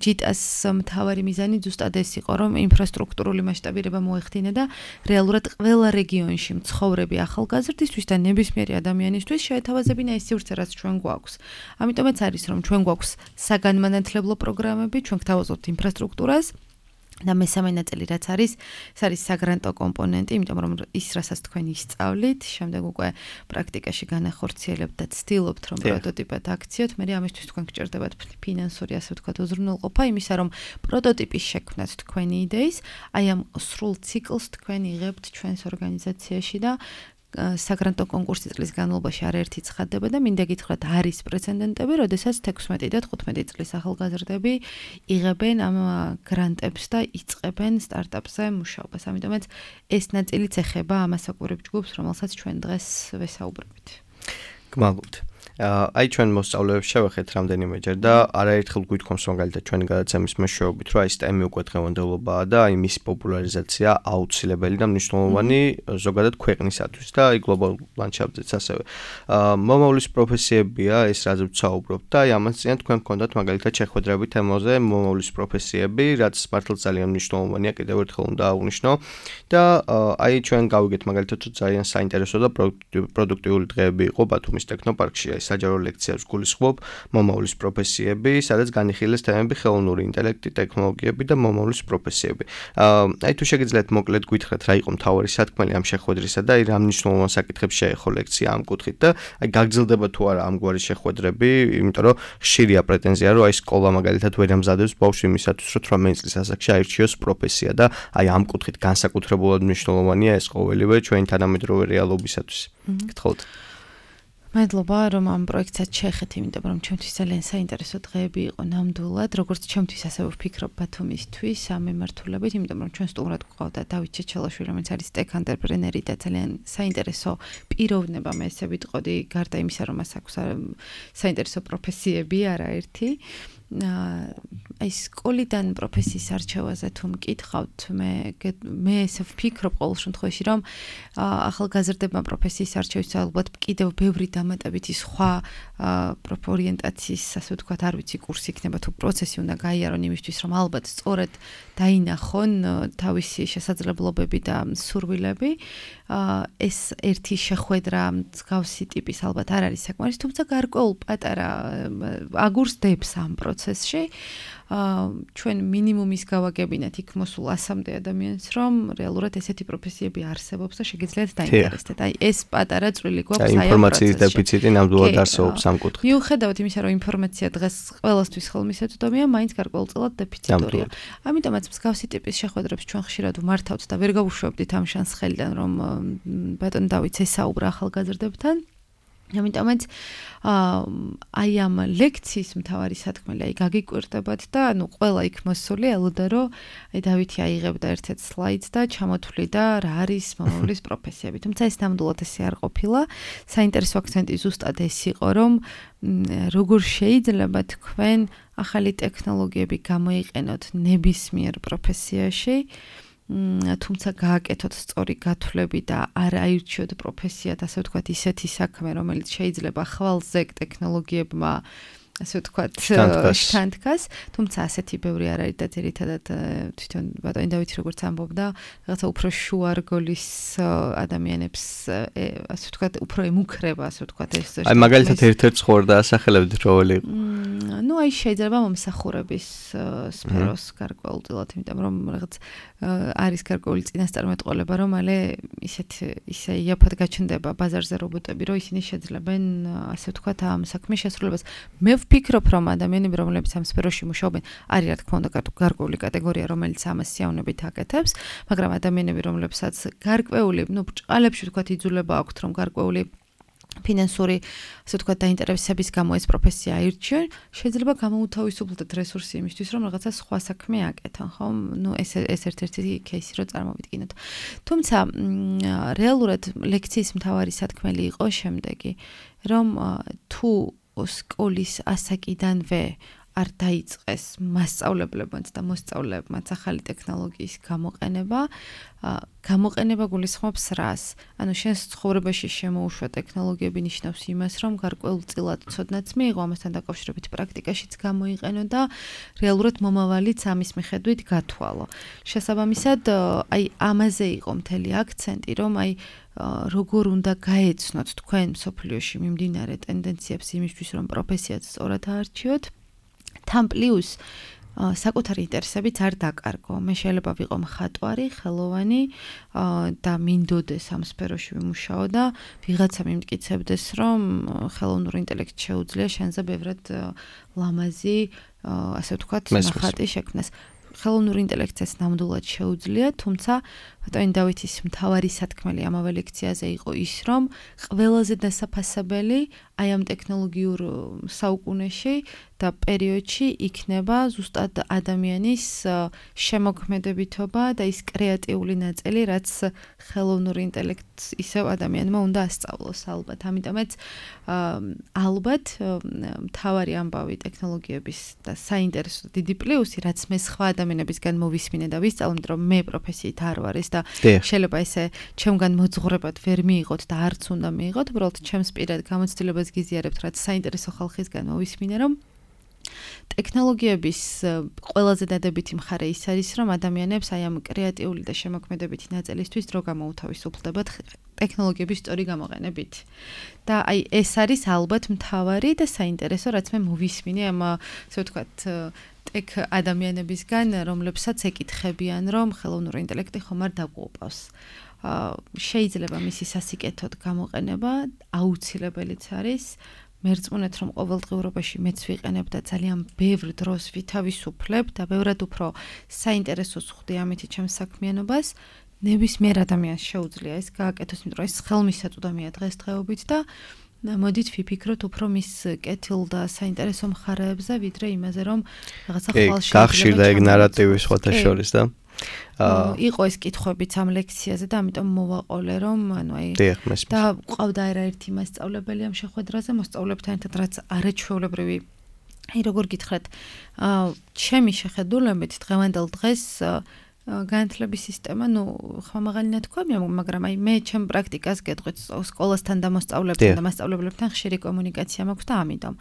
ჯიტას მთავარი მიზანი ზუსტად ეს იყო, რომ ინფრასტრუქტურული მასშტაბირება მოეხდინა და რეალურად ყველა რეგიონში მცხოვრები ახალგაზრდისთვის და ნებისმიერი ადამიანისთვის შეეთავაზებინა ეს სივრცე, რაც ჩვენ გვაქვს. ამიტომაც არის, რომ ჩვენ გვაქვს საგანმანათლებლო პროგრამები, ჩვენ გვთავაზობთ ინფრასტრუქტურას და მესამე ნაწილი რაც არის, ეს არის საგრანტო კომპონენტი, იმიტომ რომ ის რასაც თქვენ ისწავლით, შემდეგ უკვე პრაქტიკაში განახორციელებთ და ცდილობთ რომ პროტოტიპად აქციოთ, მე ამისთვის თქვენ გჭირდებათ ფინანსური ასე ვთქვათ უზრუნველყოფა, იმისა რომ პროტოტიპის შექმნათ თქვენი იდეის, აი ამ სრულ ციკლს თქვენ იღებთ ჩვენს ორგანიზაციაში და საგრანტო კონკურსი წლის განმავლობაში არაერთი ცხადდება და მინდა გითხრათ არის პრეცედენტები, როდესაც 16 და 15 წლის ახალგაზრდები იღებენ ამ გრანტებს და იწყებენ სტარტაპზე მუშაობას. ამიტომაც ეს ნაწილიც ეხება ამ ასაკურებ ჯგუფს, რომელსაც ჩვენ დღეს ვესაუბრებით. გმალობთ. აი ჩვენ მოსწავლეებს შევეხეთ რამდენიმეჯერ და არაერთხელ გვითხოვს მაგალითად ჩვენი გადაცემის მეშვეობით, რომ აი STEM-ი უკვე დღევანდელობაა და აი მისი პოპულარიზაცია აუცილებელი და მნიშვნელოვანი ზოგადად ქვეყნისათვის და აი გლობალურ ლანდშაფტზეც ასევე. მომავლის პროფესიებია ეს რაც ვცაუბრობთ და აი ამას წინ თქვენ გქონდათ მაგალითად შეხვედრები თემაზე მომავლის პროფესიები, რაც მართლაც ძალიან მნიშვნელოვანია, კიდევ ერთხელ უნდა აღვნიშნო და აი ჩვენ გავიგეთ მაგალითად რომ ძალიან საინტერესო და პროდუქტიული დღეები იყო ბათუმის ტექნოპარკში, აი საჯარო ლექციებს გულისხმობ მომავლის პროფესიები, სადაც განიხილეს თემები ხელოვნური ინტელექტი, ტექნოლოგიები და მომავლის პროფესიები. აი თუ შეგიძლიათ მოკლედ გითხრათ რა იყო მთავარი სათქმელი ამ შეხვედრისა და აი რა მნიშვნელოვან საკითხებს შეეხო ლექცია ამ კუთხით და აი გაგრძელდება თუ არა ამგვარი შეხვედრები, იმიტომ რომ ხშირია პრეტენზია რომ აი სკოლა მაგალითად ვერ ამზადებს ბავშვს იმისათვის რომ 18 წლის ასაკში აირჩიოს პროფესია და აი ამ კუთხით განსაკუთრებულად მნიშვნელოვანია ეს ყოველივე ჩვენი თანამედროვე რეალობისათვის. გთხოვთ. მადლობა რომ ამ პროექტსაც შეეხეთ, იმიტომ რომ ჩემთვის ძალიან საინტერესო დღეები იყო ნამდვილად, როგორც ჩემთვის ასევე ვფიქრობ ბათუმისთვის ამ მიმართულებით, იმიტომ რომ ჩვენ სტუმრად გვყავდა დავით ჩეჩელაშვილი, რომელიც არის tech entrepreneur-ი და ძალიან საინტერესო პიროვნება, მე ესე ვიტყოდი, გარდა იმისა, რომ მას აქვს საინტერესო პროფესიები არაერთი. აი სკოლიდან პროფესიის არჩევაზე თუ მკითხავთ, მე ესე ვფიქრობ ყოველ შემთხვევაში, რომ ახალგაზრდებმა პროფესიის არჩევის ალბათ კიდევ ბევრი დამატებითი სხვა ორიენტაციის, ასე ვთქვათ, არ ვიცი, კურსი იქნება თუ პროცესი უნდა გაიარონ იმისთვის, რომ ალბათ სწორად დაინახონ თავისი შესაძლებლობები და სურვილები. ეს ერთი შეხვედრა მსგავსი ტიპის ალბათ არ არის საკმარის, თუმცა გარკვეულ პატარა აგურს დებს ამ პროცესში. ჩვენ მინიმუმის გავაგებინათ იქ მოსულ 100-მდე ადამიანს, რომ რეალურად ესეთი პროფესიები არსებობს და შეგიძლიათ დაინტერესდეთ. აი ეს პატარა წვლილი გვაქვს აი ამ ინფორმაციის დეფიციტი ნამდვილად არსებობს ამ კუთხით. მიუხედავად იმისა, რომ ინფორმაცია დღეს ყველასთვის ხელმისაწვდომია, მაინც გარკვეულწილად დეფიციტორია. ამიტომაც მსგავსი ტიპის შეხვედრებს ჩვენ ხშირად ვმართავთ და ვერ გავუშვებდით ამ შანსს ხელიდან, რომ ბატონ დავით ესაუბრა ახალგაზრდებთან. ამიტომაც აი ამ ლექციის მთავარი სათქმელი აი გაგიკვირდებათ და ანუ ყველა იქ მოსული ელოდა რომ აი დავითი აიღებდა ერთ-ერთ სლაიდს და ჩამოთვლიდა რა არის მომავლის პროფესიები. თუმცა ეს ნამდვილად ესე არ ყოფილა. საინტერესო აქცენტი ზუსტად ეს იყო, რომ როგორ შეიძლება თქვენ ახალი ტექნოლოგიები გამოიყენოთ ნებისმიერ პროფესიაში, თუმცა გააკეთოთ სწორი გათვლები და არ აირჩიოთ პროფესიად, ასე ვთქვათ, ისეთი საქმე, რომელიც შეიძლება ხვალზე ტექნოლოგიებმა ასე ვთქვათ, შთანთქას, თუმცა ასეთი ბევრი არ არის და ძირითადად თვითონ ბატონი დავითი როგორც ამბობდა, რაღაცა უფრო შუარგოლის ადამიანებს, ასე ვთქვათ, უფრო ემუქრება, ასე ვთქვათ, ეს. აი მაგალითად ერთ-ერთ ცხოვრ დაასახელებთ როველი იყო. ну აი შეიძლება მომსახურების სფეროს გარკვეულწილად, იმიტომ რომ რაღაც არის გარკვეული წინასწარმეტყველება, რომ მალე ისე იაფად გაჩნდება ბაზარზე რობოტები, რომ ისინი შეძლებენ, ასე ვთქვათ, ამ საქმის შესრულებას. მე ვფიქრობ, რომ ადამიანები, რომლებიც ამ სფეროში მუშაობენ, არის რა თქმა უნდა გარკვეული კატეგორია, რომელიც ამას სიავნებით აკეთებს, მაგრამ ადამიანები, რომლებსაც გარკვეული, ბრჭყალებში ვთქვათ, იძულება აქვთ, რომ გარკვეული ფინანსური, ასე ვთქვათ, დაინტერესების გამო ეს პროფესია აირჩიონ, შეიძლება გამოუთავისუფლდეთ რესურსი იმისთვის, რომ რაღაცა სხვა საქმე აკეთონ, ხო? ეს ერთ-ერთი кейსი რო წარმოვიდგინოთ. თუმცა რეალურად ლექციის მთავარი სათქმელი იყო შემდეგი, რომ თუ სკოლის ასაკიდანვე არ დაიწყეს მასწავლებლებმაც და მოსწავლეებმაც ახალი ტექნოლოგიის გამოყენება გულისხმობს რას? ანუ შენს ცხოვრებაში შემოუშვა ტექნოლოგიები ნიშნავს იმას, რომ გარკვეულწილად ცოდნაც მიიღო, ამასთან დაკავშირებით პრაქტიკაშიც გამოიყენო და რეალურად მომავალიც ამის მიხედვით გათვალო. შესაბამისად, აი ამაზე იყო მთელი აქცენტი, რომ აი როგორ უნდა გაეცნოთ თქვენ მსოფლიოში მიმდინარე ტენდენციებს იმისთვის, რომ პროფესიაც სწორად აარჩიოთ. თან პლუს საკუთარი ინტერესებიც არ დაკარგო. მე შეიძლება ვიყო მხატვარი, ხელოვანი და მინდოდეს ამ სფეროში ვიმუშაო და ვიღაცა მიმტკიცებდეს, რომ ხელოვნური ინტელექტი შეუძლია შენზე ბევრად ლამაზი, ასე ვთქვათ, ნახატი შექმნას. ხელოვნური ინტელექტს ნამდვილად შეუძლია, თუმცა ბატონი დავითის მთავარი სათქმელი ამავე ლექციაზე იყო ის, რომ ყველაზე დასაფასებელი აი ამ ტექნოლოგიურ საუკუნეში და პერიოდში იქნება ზუსტად ადამიანის შემოქმედებითობა და ის კრეატიული ნაწილი, რაც ხელოვნური ინტელექტს ისევ ადამიანმა უნდა ასწავლოს ალბათ. ამიტომაც ალბათ მთავარი ამბავი ტექნოლოგიების და საინტერესო დიდი პლუსი, რაც მე სხვა ადამიანებისგან მოვისმინე და ვისწავლე, რომ მე პროფესიით არ ვარ ეს და შეიძლება ესე ჩემგან მოძღვრებად ვერ მიიღოთ და არც უნდა მიიღოთ, უბრალოდ ჩემს პირად გამოცდილებას გიზიარებთ, რაც საინტერესო ხალხისგან მოვისმინე, რომ ტექნოლოგიების ყველაზე დადებითი მხარე ის არის, რომ ადამიანებს აი ამ კრეატიული და შემოქმედებითი ნაწილისთვის დრო გამოუთავისუფლდებათ ტექნოლოგიების სწორი გამოყენებით. და აი ეს არის ალბათ მთავარი და საინტერესო, რაც მე მოვისმინე ამ ასე ვთქვათ ტექ ადამიანებისგან, რომლებსაც ეკითხებიან, რომ ხელოვნური ინტელექტი ხომ არ დაგვუყავს. შეიძლება მისი სასიკეთოდ გამოყენება აუცილებელიც არის. მერწმუნეთ, რომ ყოველდღიურობაში მეც ვიყენებ და ძალიან ბევრ დროს ვითავისუფლებ და ბევრად უფრო საინტერესოს ხვდი ამით ჩემს საქმიანობას. ნებისმიერ ადამიანს შეუძლია ეს გააკეთოს, იმიტომ რომ ეს ხელმისაწვდომია დღესდღეობით და მოდით ვიფიქროთ უფრო მის კეთილ და საინტერესო მხარეებზე, ვიდრე იმაზე, რომ რაღაცა ხვალ გახშირდა ეგ ნარატივი სხვათა შორის და იყო ეს კითხვებიც ამ ლექციაზე და ამიტომ მოვაყოლე, რომ ანუ აი და ყავდა ერთ-ერთი მასწავლებელი ამ შეხვედრაზე, მოსწავლეებთან ერთად, რაც არაჩვეულებრივი აი როგორ გითხრათ, ჩემი შეხედულებით დღევანდელ დღეს განათლების სისტემა, ხმამაღალი ნათქვამია, მაგრამ აი მე ჩემ პრაქტიკას გეტყვით, სკოლასთან და მოსწავლეებთან და მასწავლებლებთან ხშირი კომუნიკაცია მაქვს და ამიტომ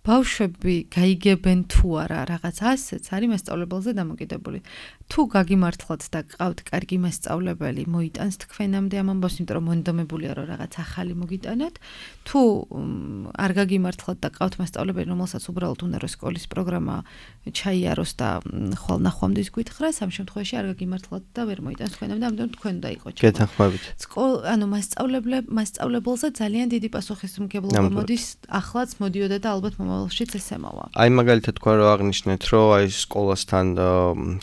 ბავშვები გაიგებენ თუ არა რაღაც ასეც არის მასწავლებელზე დამოკიდებული. თუ გაგიმართლათ და გყავთ კარგი მასწავლებელი, მოიტანს თქვენამდე ამ ამბავს, იმიტომ რომ მონდომებულია რომ რაღაც ახალი მოგიტანოთ. თუ არ გაგიმართლათ და გყავთ მასწავლებელი, რომელსაც უბრალოდ უნდა რომ სკოლის პროგრამა ჩაიაროს და ხვალ ნახვამდის გვითხრას, ამ შემთხვევაში არ გაგიმართლათ და ვერ მოიტანს თქვენამდე, ამიტომ თქვენ უნდა იყოს. გეთანხმებით. ანუ მასწავლებელზე ძალიან დიდი პასუხისმგებლობა მოდის, ახლაც მოდიოდა და ალბათ მომავალშიც ესემოვა. აი მაგალითად თქვენ რო აღნიშნეთ, რომ აი სკოლასთან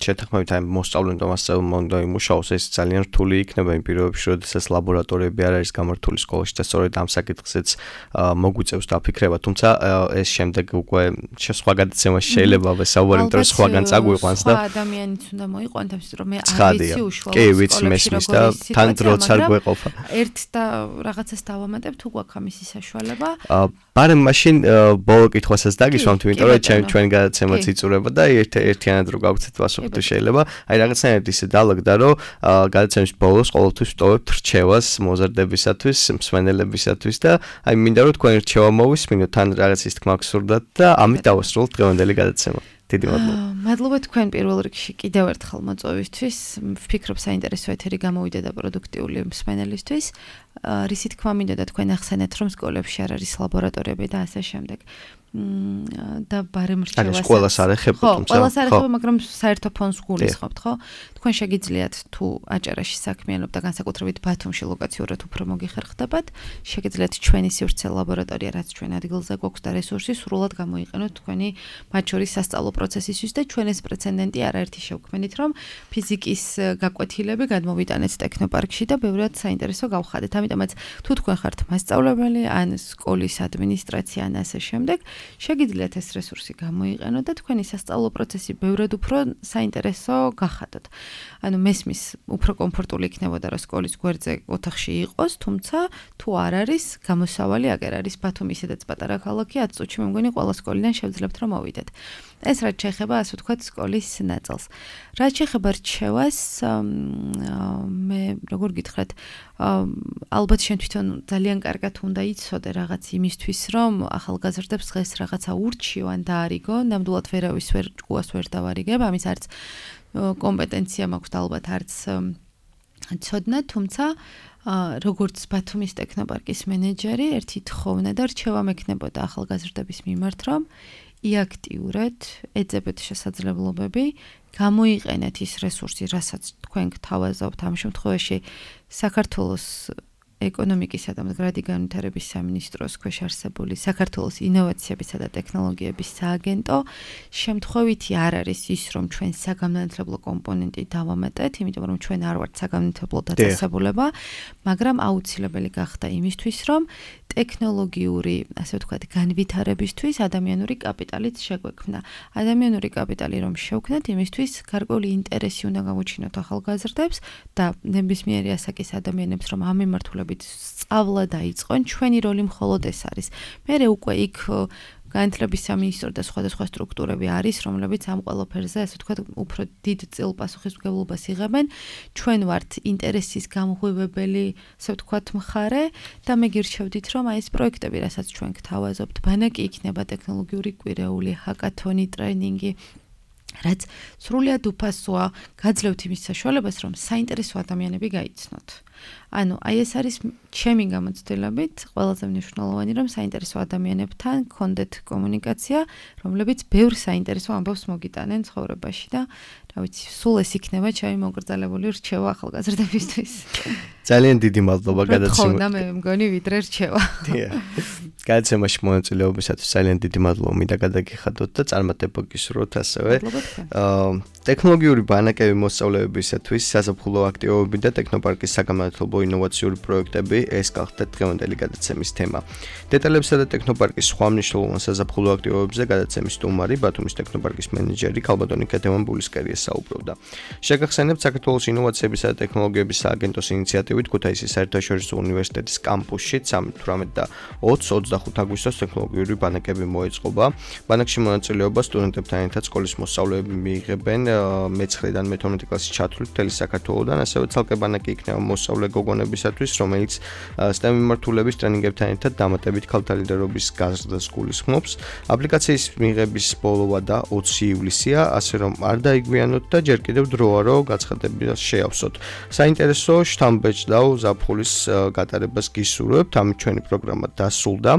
შეთანხმებით აი მოსწავლემ და მასწავლებელმა უნდა იმუშაოს, ეს ძალიან რთული იქნება იმ პირობებში, როდესაც ლაბორატორიები არ არის გამართული სკოლაში და სწორედ ამ საკითხზეც მოგვიწევს დაფიქრება, თუმცა ეს შემდეგ უკვე სხვა გადაცემაში შეიძლება ვესაუბარი, იმიტომ რომ სხვაგან წაგვიყვანს და სხვა ადამიანიც უნდა მოიყვანოთ, ამიტომ რომ მე არ ვიცი უშუალოდ. კი, ვიცი, მესმის და თან დროც არ გვეყოფა. ერთ და რაღაცას დავამატებ, თუ გვაქვს ამისი საშუალება. ბარემ მაშინ ბოლო კითხვასაც დაგისვამთ, იმიტომ რომ ჩვენ გადაცემაც იწურება და ერთიანად რო გავცეთ პასუხი თუ შეიძლება. აი რაღაცნაირად ისე დაალაგდა, რომ გადაცემის ბოლოს ყოველთვის ვტოვებთ რჩევას მოზარდებისათვის, მსმენელებისათვის და აი მინდა რომ თქვენი რჩევა მოვისმინოთ, თან რაღაც ის თქმა გსურდათ და ამით დავასრულოთ დღევანდელი გადაცემა. დიდი მადლობა. მადლობა თქვენ პირველ რიგში კიდევ ერთხელ მოწვევისთვის. ვფიქრობ საინტერესო ეთერი გამოვიდა და პროდუქტიული მსმენელისთვის. რისი თქმა მინდა და თქვენ ახსენეთ, რომ სკოლებში არ არის ლაბორატორიები და ასე შემდეგ. და ბარემ რჩევას. არის ყველას არ ეხება, თუმცა. ყველას არ ეხება, მაგრამ საერთო ფონს გულისხმობთ, ხო? თქვენ შეგიძლიათ თუ აჭარაში საქმიანობთ და განსაკუთრებით ბათუმში ლოკაციურად უფრო მოგიხერხდებათ, შეგიძლიათ ჩვენი სივრცე ლაბორატორია, რაც ჩვენ ადგილზე გვაქვს და რესურსი სრულად გამოიყენოთ თქვენი მათ შორის სასწავლო პროცესისთვის და ჩვენ ეს პრეცედენტი არაერთი შევქმნით, რომ ფიზიკის გაკვეთილები გადმოვიტანეთ ტექნოპარკში და ბევრად საინტერესო გავხადეთ. ამიტომაც თუ თქვენ ხართ მასწავლებელი ან სკოლის ადმინისტრაცია ან ასე შემდეგ, შეგიძლიათ ეს რესურსი გამოიყენოთ და თქვენი სასწავლო პროცესი ბევრად უფრო საინტერესო გახადოთ. ანუ მესმის უფრო კომფორტული იქნებოდა რომ სკოლის გვერდზე ოთახში იყოს, თუმცა თუ არ არის, გამოსავალი აგერ არის ბათუმი, ისედაც პატარა ქალაქი, 10 წუთში მე მგონი ყველა სკოლიდან შევძლებთ რომ მოვიდეთ. ეს რაც შეეხება, ასე ვთქვათ, სკოლის ნაწილს. რაც შეეხება რჩევას, მე როგორ გითხრათ, ალბათ შენ თვითონ ძალიან კარგად უნდა იცოდე რაღაც იმისთვის, რომ ახალგაზრდებს დღეს რაღაცა ურჩიო ან დაარიგო, ნამდვილად ვერავის ჭკუას ვერ დავარიგებ, ამის არც კომპეტენცია მაქვს და ალბათ არც ცოდნა, თუმცა როგორც ბათუმის ტექნოპარკის მენეჯერი, ერთი თხოვნა და რჩევა მექნებოდა ახალგაზრდების მიმართ, რომ იაქტიურად ეძებეთ შესაძლებლობები, გამოიყენეთ ის რესურსი, რასაც თქვენ გთავაზობთ ამ შემთხვევაში საქართველოს ეკონომიკისა და მდგრადი განვითარების სამინისტროს ქვეშ არსებული საქართველოს ინოვაციებისა და ტექნოლოგიების სააგენტო შემთხვევითი არ არის ის, რომ ჩვენ საგამონათლებლო კომპონენტი დავამატეთ, იმიტომ რომ ჩვენ არ ვართ საგამონათლებლო დაწესებულება, მაგრამ აუცილებელი გახდა იმისთვის, რომ ტექნოლოგიური, ასე ვთქვათ, განვითარებისთვის ადამიანური კაპიტალიც შეგვექმნა. ადამიანური კაპიტალი რომ შევქმნათ, იმისთვის გარკვეული ინტერესი უნდა გამოჩინოთ ახალგაზრდებს და ნებისმიერი ასაკის ადამიანებს, რომ ამ მიმართულებით სწავლა დაიწყონ, ჩვენი როლი მხოლოდ ეს არის. მერე უკვე იქ განათლების სამინისტრო და სხვადასხვა სტრუქტურები არის, რომლებიც ამ ყველაფერზე, ასე ვთქვათ, უფრო დიდ წილ პასუხისმგებლობას იღებენ. ჩვენ ვართ ინტერესის გამღვივებელი, ასე ვთქვათ, მხარე და მე გირჩევდით, რომ აი ეს პროექტები, რასაც ჩვენ გთავაზობთ, ბანაკი იქნება ტექნოლოგიური კვირეული, ჰაკათონი, ტრენინგი, რაც სრულიად უფასოა, გაძლევთ იმის საშუალებას, რომ საინტერესო ადამიანები გაიცნოთ. ანუ აი ეს არის ჩემი გამოცდილებით ყველაზე მნიშვნელოვანი, რომ საინტერესო ადამიანებთან გქონდეთ კომუნიკაცია, რომლებიც ბევრ საინტერესო ამბავს მოგიტანენ ცხოვრებაში და რა ვიცი, სულ ეს იქნება ჩემი მოგრძალებული რჩევა ახალგაზრდებისთვის. ძალიან დიდი მადლობა გადაცემაში. ხო, და მე მგონი ვიდრე რჩევა. დიახ. გადაცემაში მონაწილეობისათვის ძალიან დიდი მადლობა მინდა გადაგიხადოთ და წარმატება გისურვოთ ასევე. ტექნოლოგიური ბანაკები მოსწავლეებისათვის საზაფხულო აქტივობები და ტექნოპარკის საგამონათლებლო ინოვაციური პროექტები ეს გახდა დღევანდელი გადაცემის თემა. დეტალებსა და ტექნოპარკის სხვა მნიშვნელოვან საზაფხულო აქტივობებზე გადაცემის სტუმარი ბათუმის ტექნოპარკის მენეჯერი ქალბატონი კეთევან-ბულისკერია საუბრობდა. შეგახსენებთ საქართველოს ინოვაციებისა და ტექნოლოგიების სააგენტოს ინიციატივით ქუთაისის საერთაშორისო უნივერსიტეტის კამპუსში 18 და 20-25 აგვისტოს ტექნოლოგიური ბანაკები მოეწყობა. ბანაკში მონაწილეობა სტუდენტებთან ერთად სკოლის მოსწავლეები მიიღებენ მე-9-დან მე-12 კლასის ჩათვლით მთელი საქართველოდან, ასევე ცალკე ბანაკი იქნება მოსწავლე გოგონებისათვის, რომელიც STEM მიმართულების ტრენინგებთან ერთად დამატებით ქალთა ლიდერობის გაზრდას გულისხმობს. აპლიკაციის მიღების ბოლოვა და 20 ივლისია, ასე რომ არ დაიგვიანოთ და ჯერ კიდევ დროა რომ გაცხადებას შეავსოთ. საინტერესო შთამბეჭდავ ზაფხულის გატარებას გისურვებთ. ამით ჩვენი პროგრამა დასრულდა.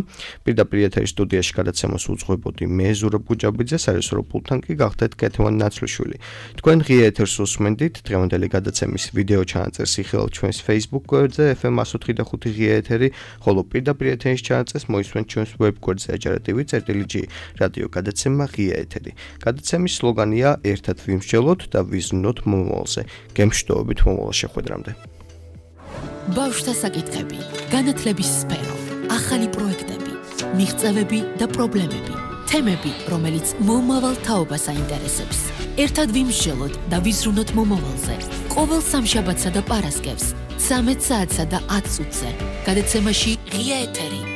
პირდაპირ ეთერის სტუდიაში გადაცემას უძღვებოდი მე ზურაბ გუჯაბიძე, სარესურო პულტთან კი გახდეთ კეთევან ნაცლიშვილი. თქვენ ღია ეთერს უსმენდით. დღევანდელი გადაცემის ვიდეო ჩანაწერს იხილავთ ჩვენს Facebook გვერდზე FM 105.5 ღია ეთერი, ხოლო პირდაპირ ეთერის ჩანაწერს მოისმენთ ჩვენს ვებ გვერდზე ajaratv.g რადიო გადაცემა ღია ეთერი. გადაცემის სლოგანია ერთად ვიმსჯელოთ და ვიზრუნოთ მომავალზე. გემშვიდობებით მომავალ შეხვედრამდე. ბავშვთა საკითხები, განათლების სფერო, ახალი პროექტები, მიღწევები და პრობლემები, თემები, რომელიც მომავალ თაობას აინტერესებს. ერთად ვიმსჯელოთ და ვიზრუნოთ მომავალზე. ყოველ სამშაბათსა და პარასკევს 13 საათსა და 10 წუთზე. გადაცემაში ღია ეთერი.